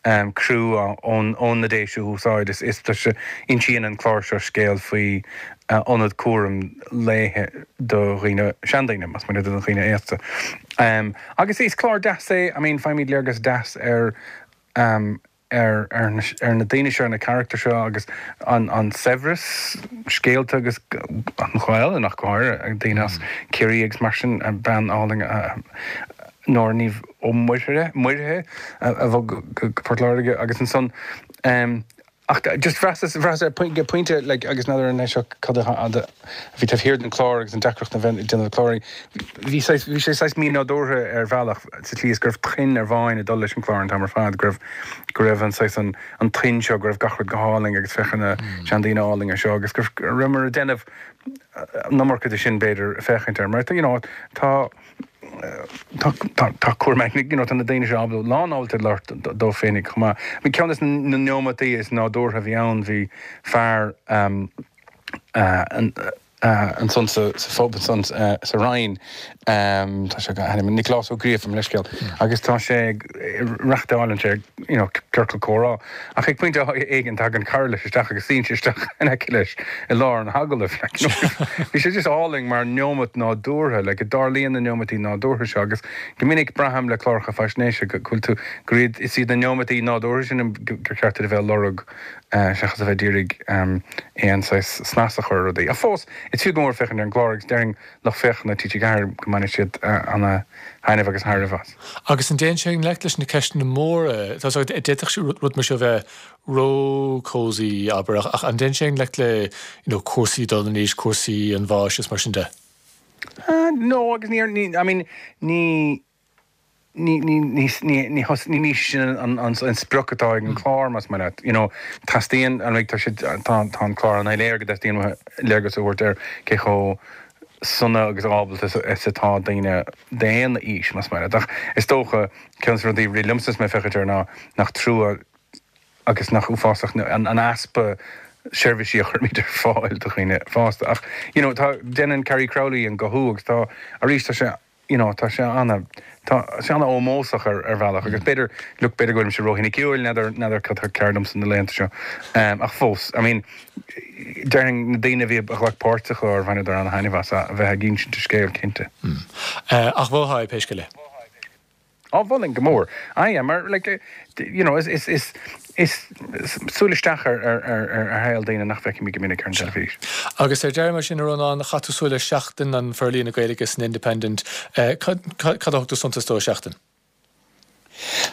criú ón ón na Déise a úsáid. Is is tá sé, insíonn an clár seo scéal faoi ionad cúram lae do dhaoine, seandaoine, más maith leat, do dhaoine aosta. Agus is clár deas é, I mean, faighimid léargas deas ar ar ar ar na daoine seo, ar na carachtair seo agus an an saibhreas scéalta agus an Ghaelainn ach go háirithe, daoine as Ciarraí agus mar sin, bean álainn Nóra Ní Ó Muirthile, Muirthile a bhog go Port Láirge agus ansan ach just bhraitheas, bhraitheas ar ag pointe like agus n'fheadar an é seo cad a bhí taobh thiar den chlár agus an deacracht a bheith ag déanamh cláir, bhí saghas, bhí sé saghas mí-nádúrtha ar bhealach sa tslí is go raibh tuin ar bháin ag dul leis an chlár an t-am ar fad, go raibh, go raibh an saghas an, an tuin seo, go raibh gach rud go hálainn agus féach ar na seandaoine álainne seo agus go rabhamar ag déanamh an iomarca de sin b'fhéidir féachaint air mar you know tá tá tá tá cúram you know tá na daoine seo ábalta lán ábalta labhairt dóibh féinig chomh maith. Bhí ceann de na neomataí is nádúrtha a bhí ann bhí fear um, uh, an, uh, ansan sa, sa phub ansan uh, sa Rinn um, tá sé ainm Nioclás Ó Gríofa mo leithscéal agus tá sé ag reachtálann sé you know, ciorcal comhrá ach ag pointe éigin tagann cara leis isteach agus suíonn sé isteach in aice leis i lár an agallaimh like, you know, bhí sé just álainn mar neomat nádúrtha like, go dtarlaíonn na neomataí nádúrtha seo agus go minic braithim le cláracha faisnéise go bhfuil tú gur iad is iad na neomataí nádúrtha sin gur ceart duit a bheith ag lorg uh, seachas a bheith ag iarraidh um, aon saghas snas a chur ar rudaí. Ach fós is fiú go mór féachaint ar an gclár agus déarfainn lucht féachana T G Ceathair go mbainfidh siad uh, ana-thaitneamh agus tairbhe as. Agus an dtéann sé i ngleic leis na ceisteanna móra, tá a fhios agat, d'fhéadfadh sé rud mar seo bheith ró-cozy, abair, ach an dtéann sé i ngleic le you know, cúrsaí dul in aois, cúrsaí an bháis is mar sin de? Uh, no, agus ní, ní, I mean, ní, ní, ní, ní, ní, ní, thos- ní, ní sin an, an, an sprioc atá ag an chlár más maith leat. You know, teastaíonn, an tá sé, tá, tá an clár an-soiléir go dteastaíonn uathu léargas a thabhairt ar cé chomh sona agus ábalta is, is atá daoine d'aon aois más maith leat. Ach is dócha ceann de na rudaí a rith liomsa is mé ag féachaint air ná nach trua agus nach uafásach an, an easpa seirbhísí a chuirimid ar fáil do dhaoine fásta. Ach, you know, tá, déanann Carrie Crowley an guthú agus tá, arís tá sé, you know, tá sé ana, tá sé ana-ómósach ar, ar bhealach agus b'fhéidir, look, b'fhéidir go bhfuilimse róshoiniciúil, n'fheadar, n'fheadar cad tá ceart domsa na laethanta seo. Um, ach fós, I mean, déarfainn na daoine a bhí a ghlac páirt sa chlár bhaineadar ana-thaitneamh as a bheith ag insint a scéal, cinnte. Uh, ach mholfá é pé scéal é. Á mholfainn go mór. Ah yeah, mar like, eh, you know, is, is, is, is súil isteach ar, ar, ar, ar, ar shaol daoine nach bhfeicimid go minic ar an teilifís. Agus ar deireadh mar sin a Rónáin, chaith tú súil ar Seachtain an forlíonadh Gaeilge san Independent. Eh, cad, cad, cad a thug tú suntas dó Seachtain?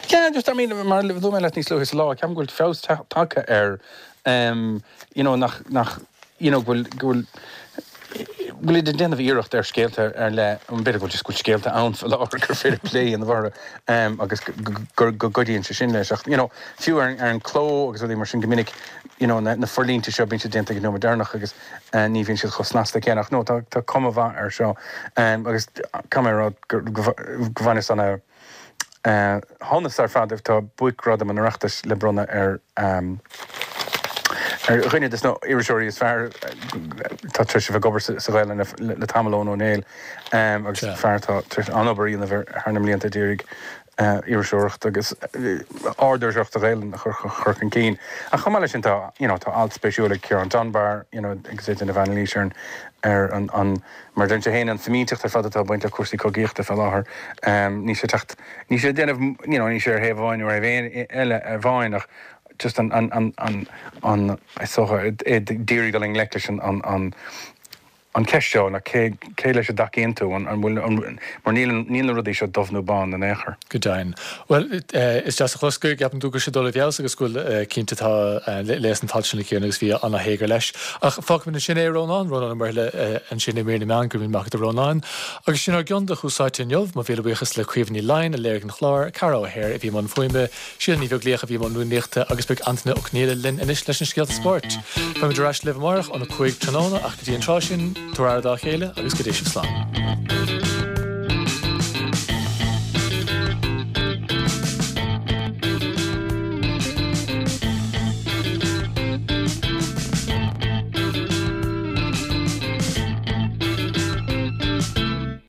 Yeah, just, I mean, mar luaigh mé leat níos luaithe sa lá, ceapaim go bhfuil feabhas tagtha air, um, you know, nach, nach, you know, go bhfuil, go bhfuil, go bhfuil ag déanamh iarracht ar scéalta ar leith, b'fhéidir go bhfuil just go bhfuil scéalta ann faoi láthair gur féidir plé a dhéanamh orthu, um, agus go, go gcuidíonn sé sin leis. Ach, you know, fiú ar, ar an cló agus rudaí mar sin go minic, you know, na, na forlínte seo bíonn siad déanta ag an nóiméad deireanach agus uh, ní bhíonn siad chomh snasta céanna. Ach no, tá, tá cuma mhaith air seo. Um, agus caithfidh mé a rá go, go, go bhaineas ana shonas ar fad tá buaicghradam an Oireachtais le bronnadh ar um, ar dhuine des na hiriseoirí is fearr atá tar éis a bheith ag obair sa Ghaelainn le, le tamall Eoin Ó Néill um, agus fear atá tar éis an-obair a dhéanamh thar na mblianta ag iarraidh uh, iriseoireacht agus uh, ard-iriseoireacht sa Ghaelainn a chur, chur chun cinn. Ach chomh maith leis sin tá, you know, tá alt spéisiúil ag Ciarán Dunbar, you know, agus é ag déanamh anailís ar an ar an, an mar deir sé féin an fimínteacht ar fad atá ag baint le cúrsaí cogaíochta fé láthair. Um, níl sé ag teacht níl sé ag déanamh you know, níl sé ar thaobh amháin nó ar thaobh eile amháin ach just an an an an an is dócha é ag iarraidh dul i ngleic leis an an an an cheist seo ná cé cé leis a dtacaíonn tú an an bhfuil an mar níl níl na rudaí seo dubh nó bán in aon chor. Go deimhin. Bhuel, is deas a chlos go gceapann tú go bhfuil sé ag dul i bhfeabhas agus go bhfuil cinnte tá léas an t-alt sin a Chiaráin agus bhí ana-théagar leis. Ach fágfaimid ansin é Rónán, Rónán Ó Muirthile ansin i mír na meán, go raibh míle maith agat a Rónáin. Agus sin ár gcion de Thús Áite inniu, mo mhíle buíochas le Caoimhe Ní Laighin a léirigh an clár, Ceara O'Hare a bhí i mbun fuaime, Síle Ní Bheaglaoich a bhí i mbun rúnaíochta agus beidh Antaine Ó Conghaile linn anois leis na scéalta spóirt. Beimid ar ais libh amárach óna cúig tráthnóna ach go dtí an tráth sin, tabhair aire dá chéile agus go dté sibh slán.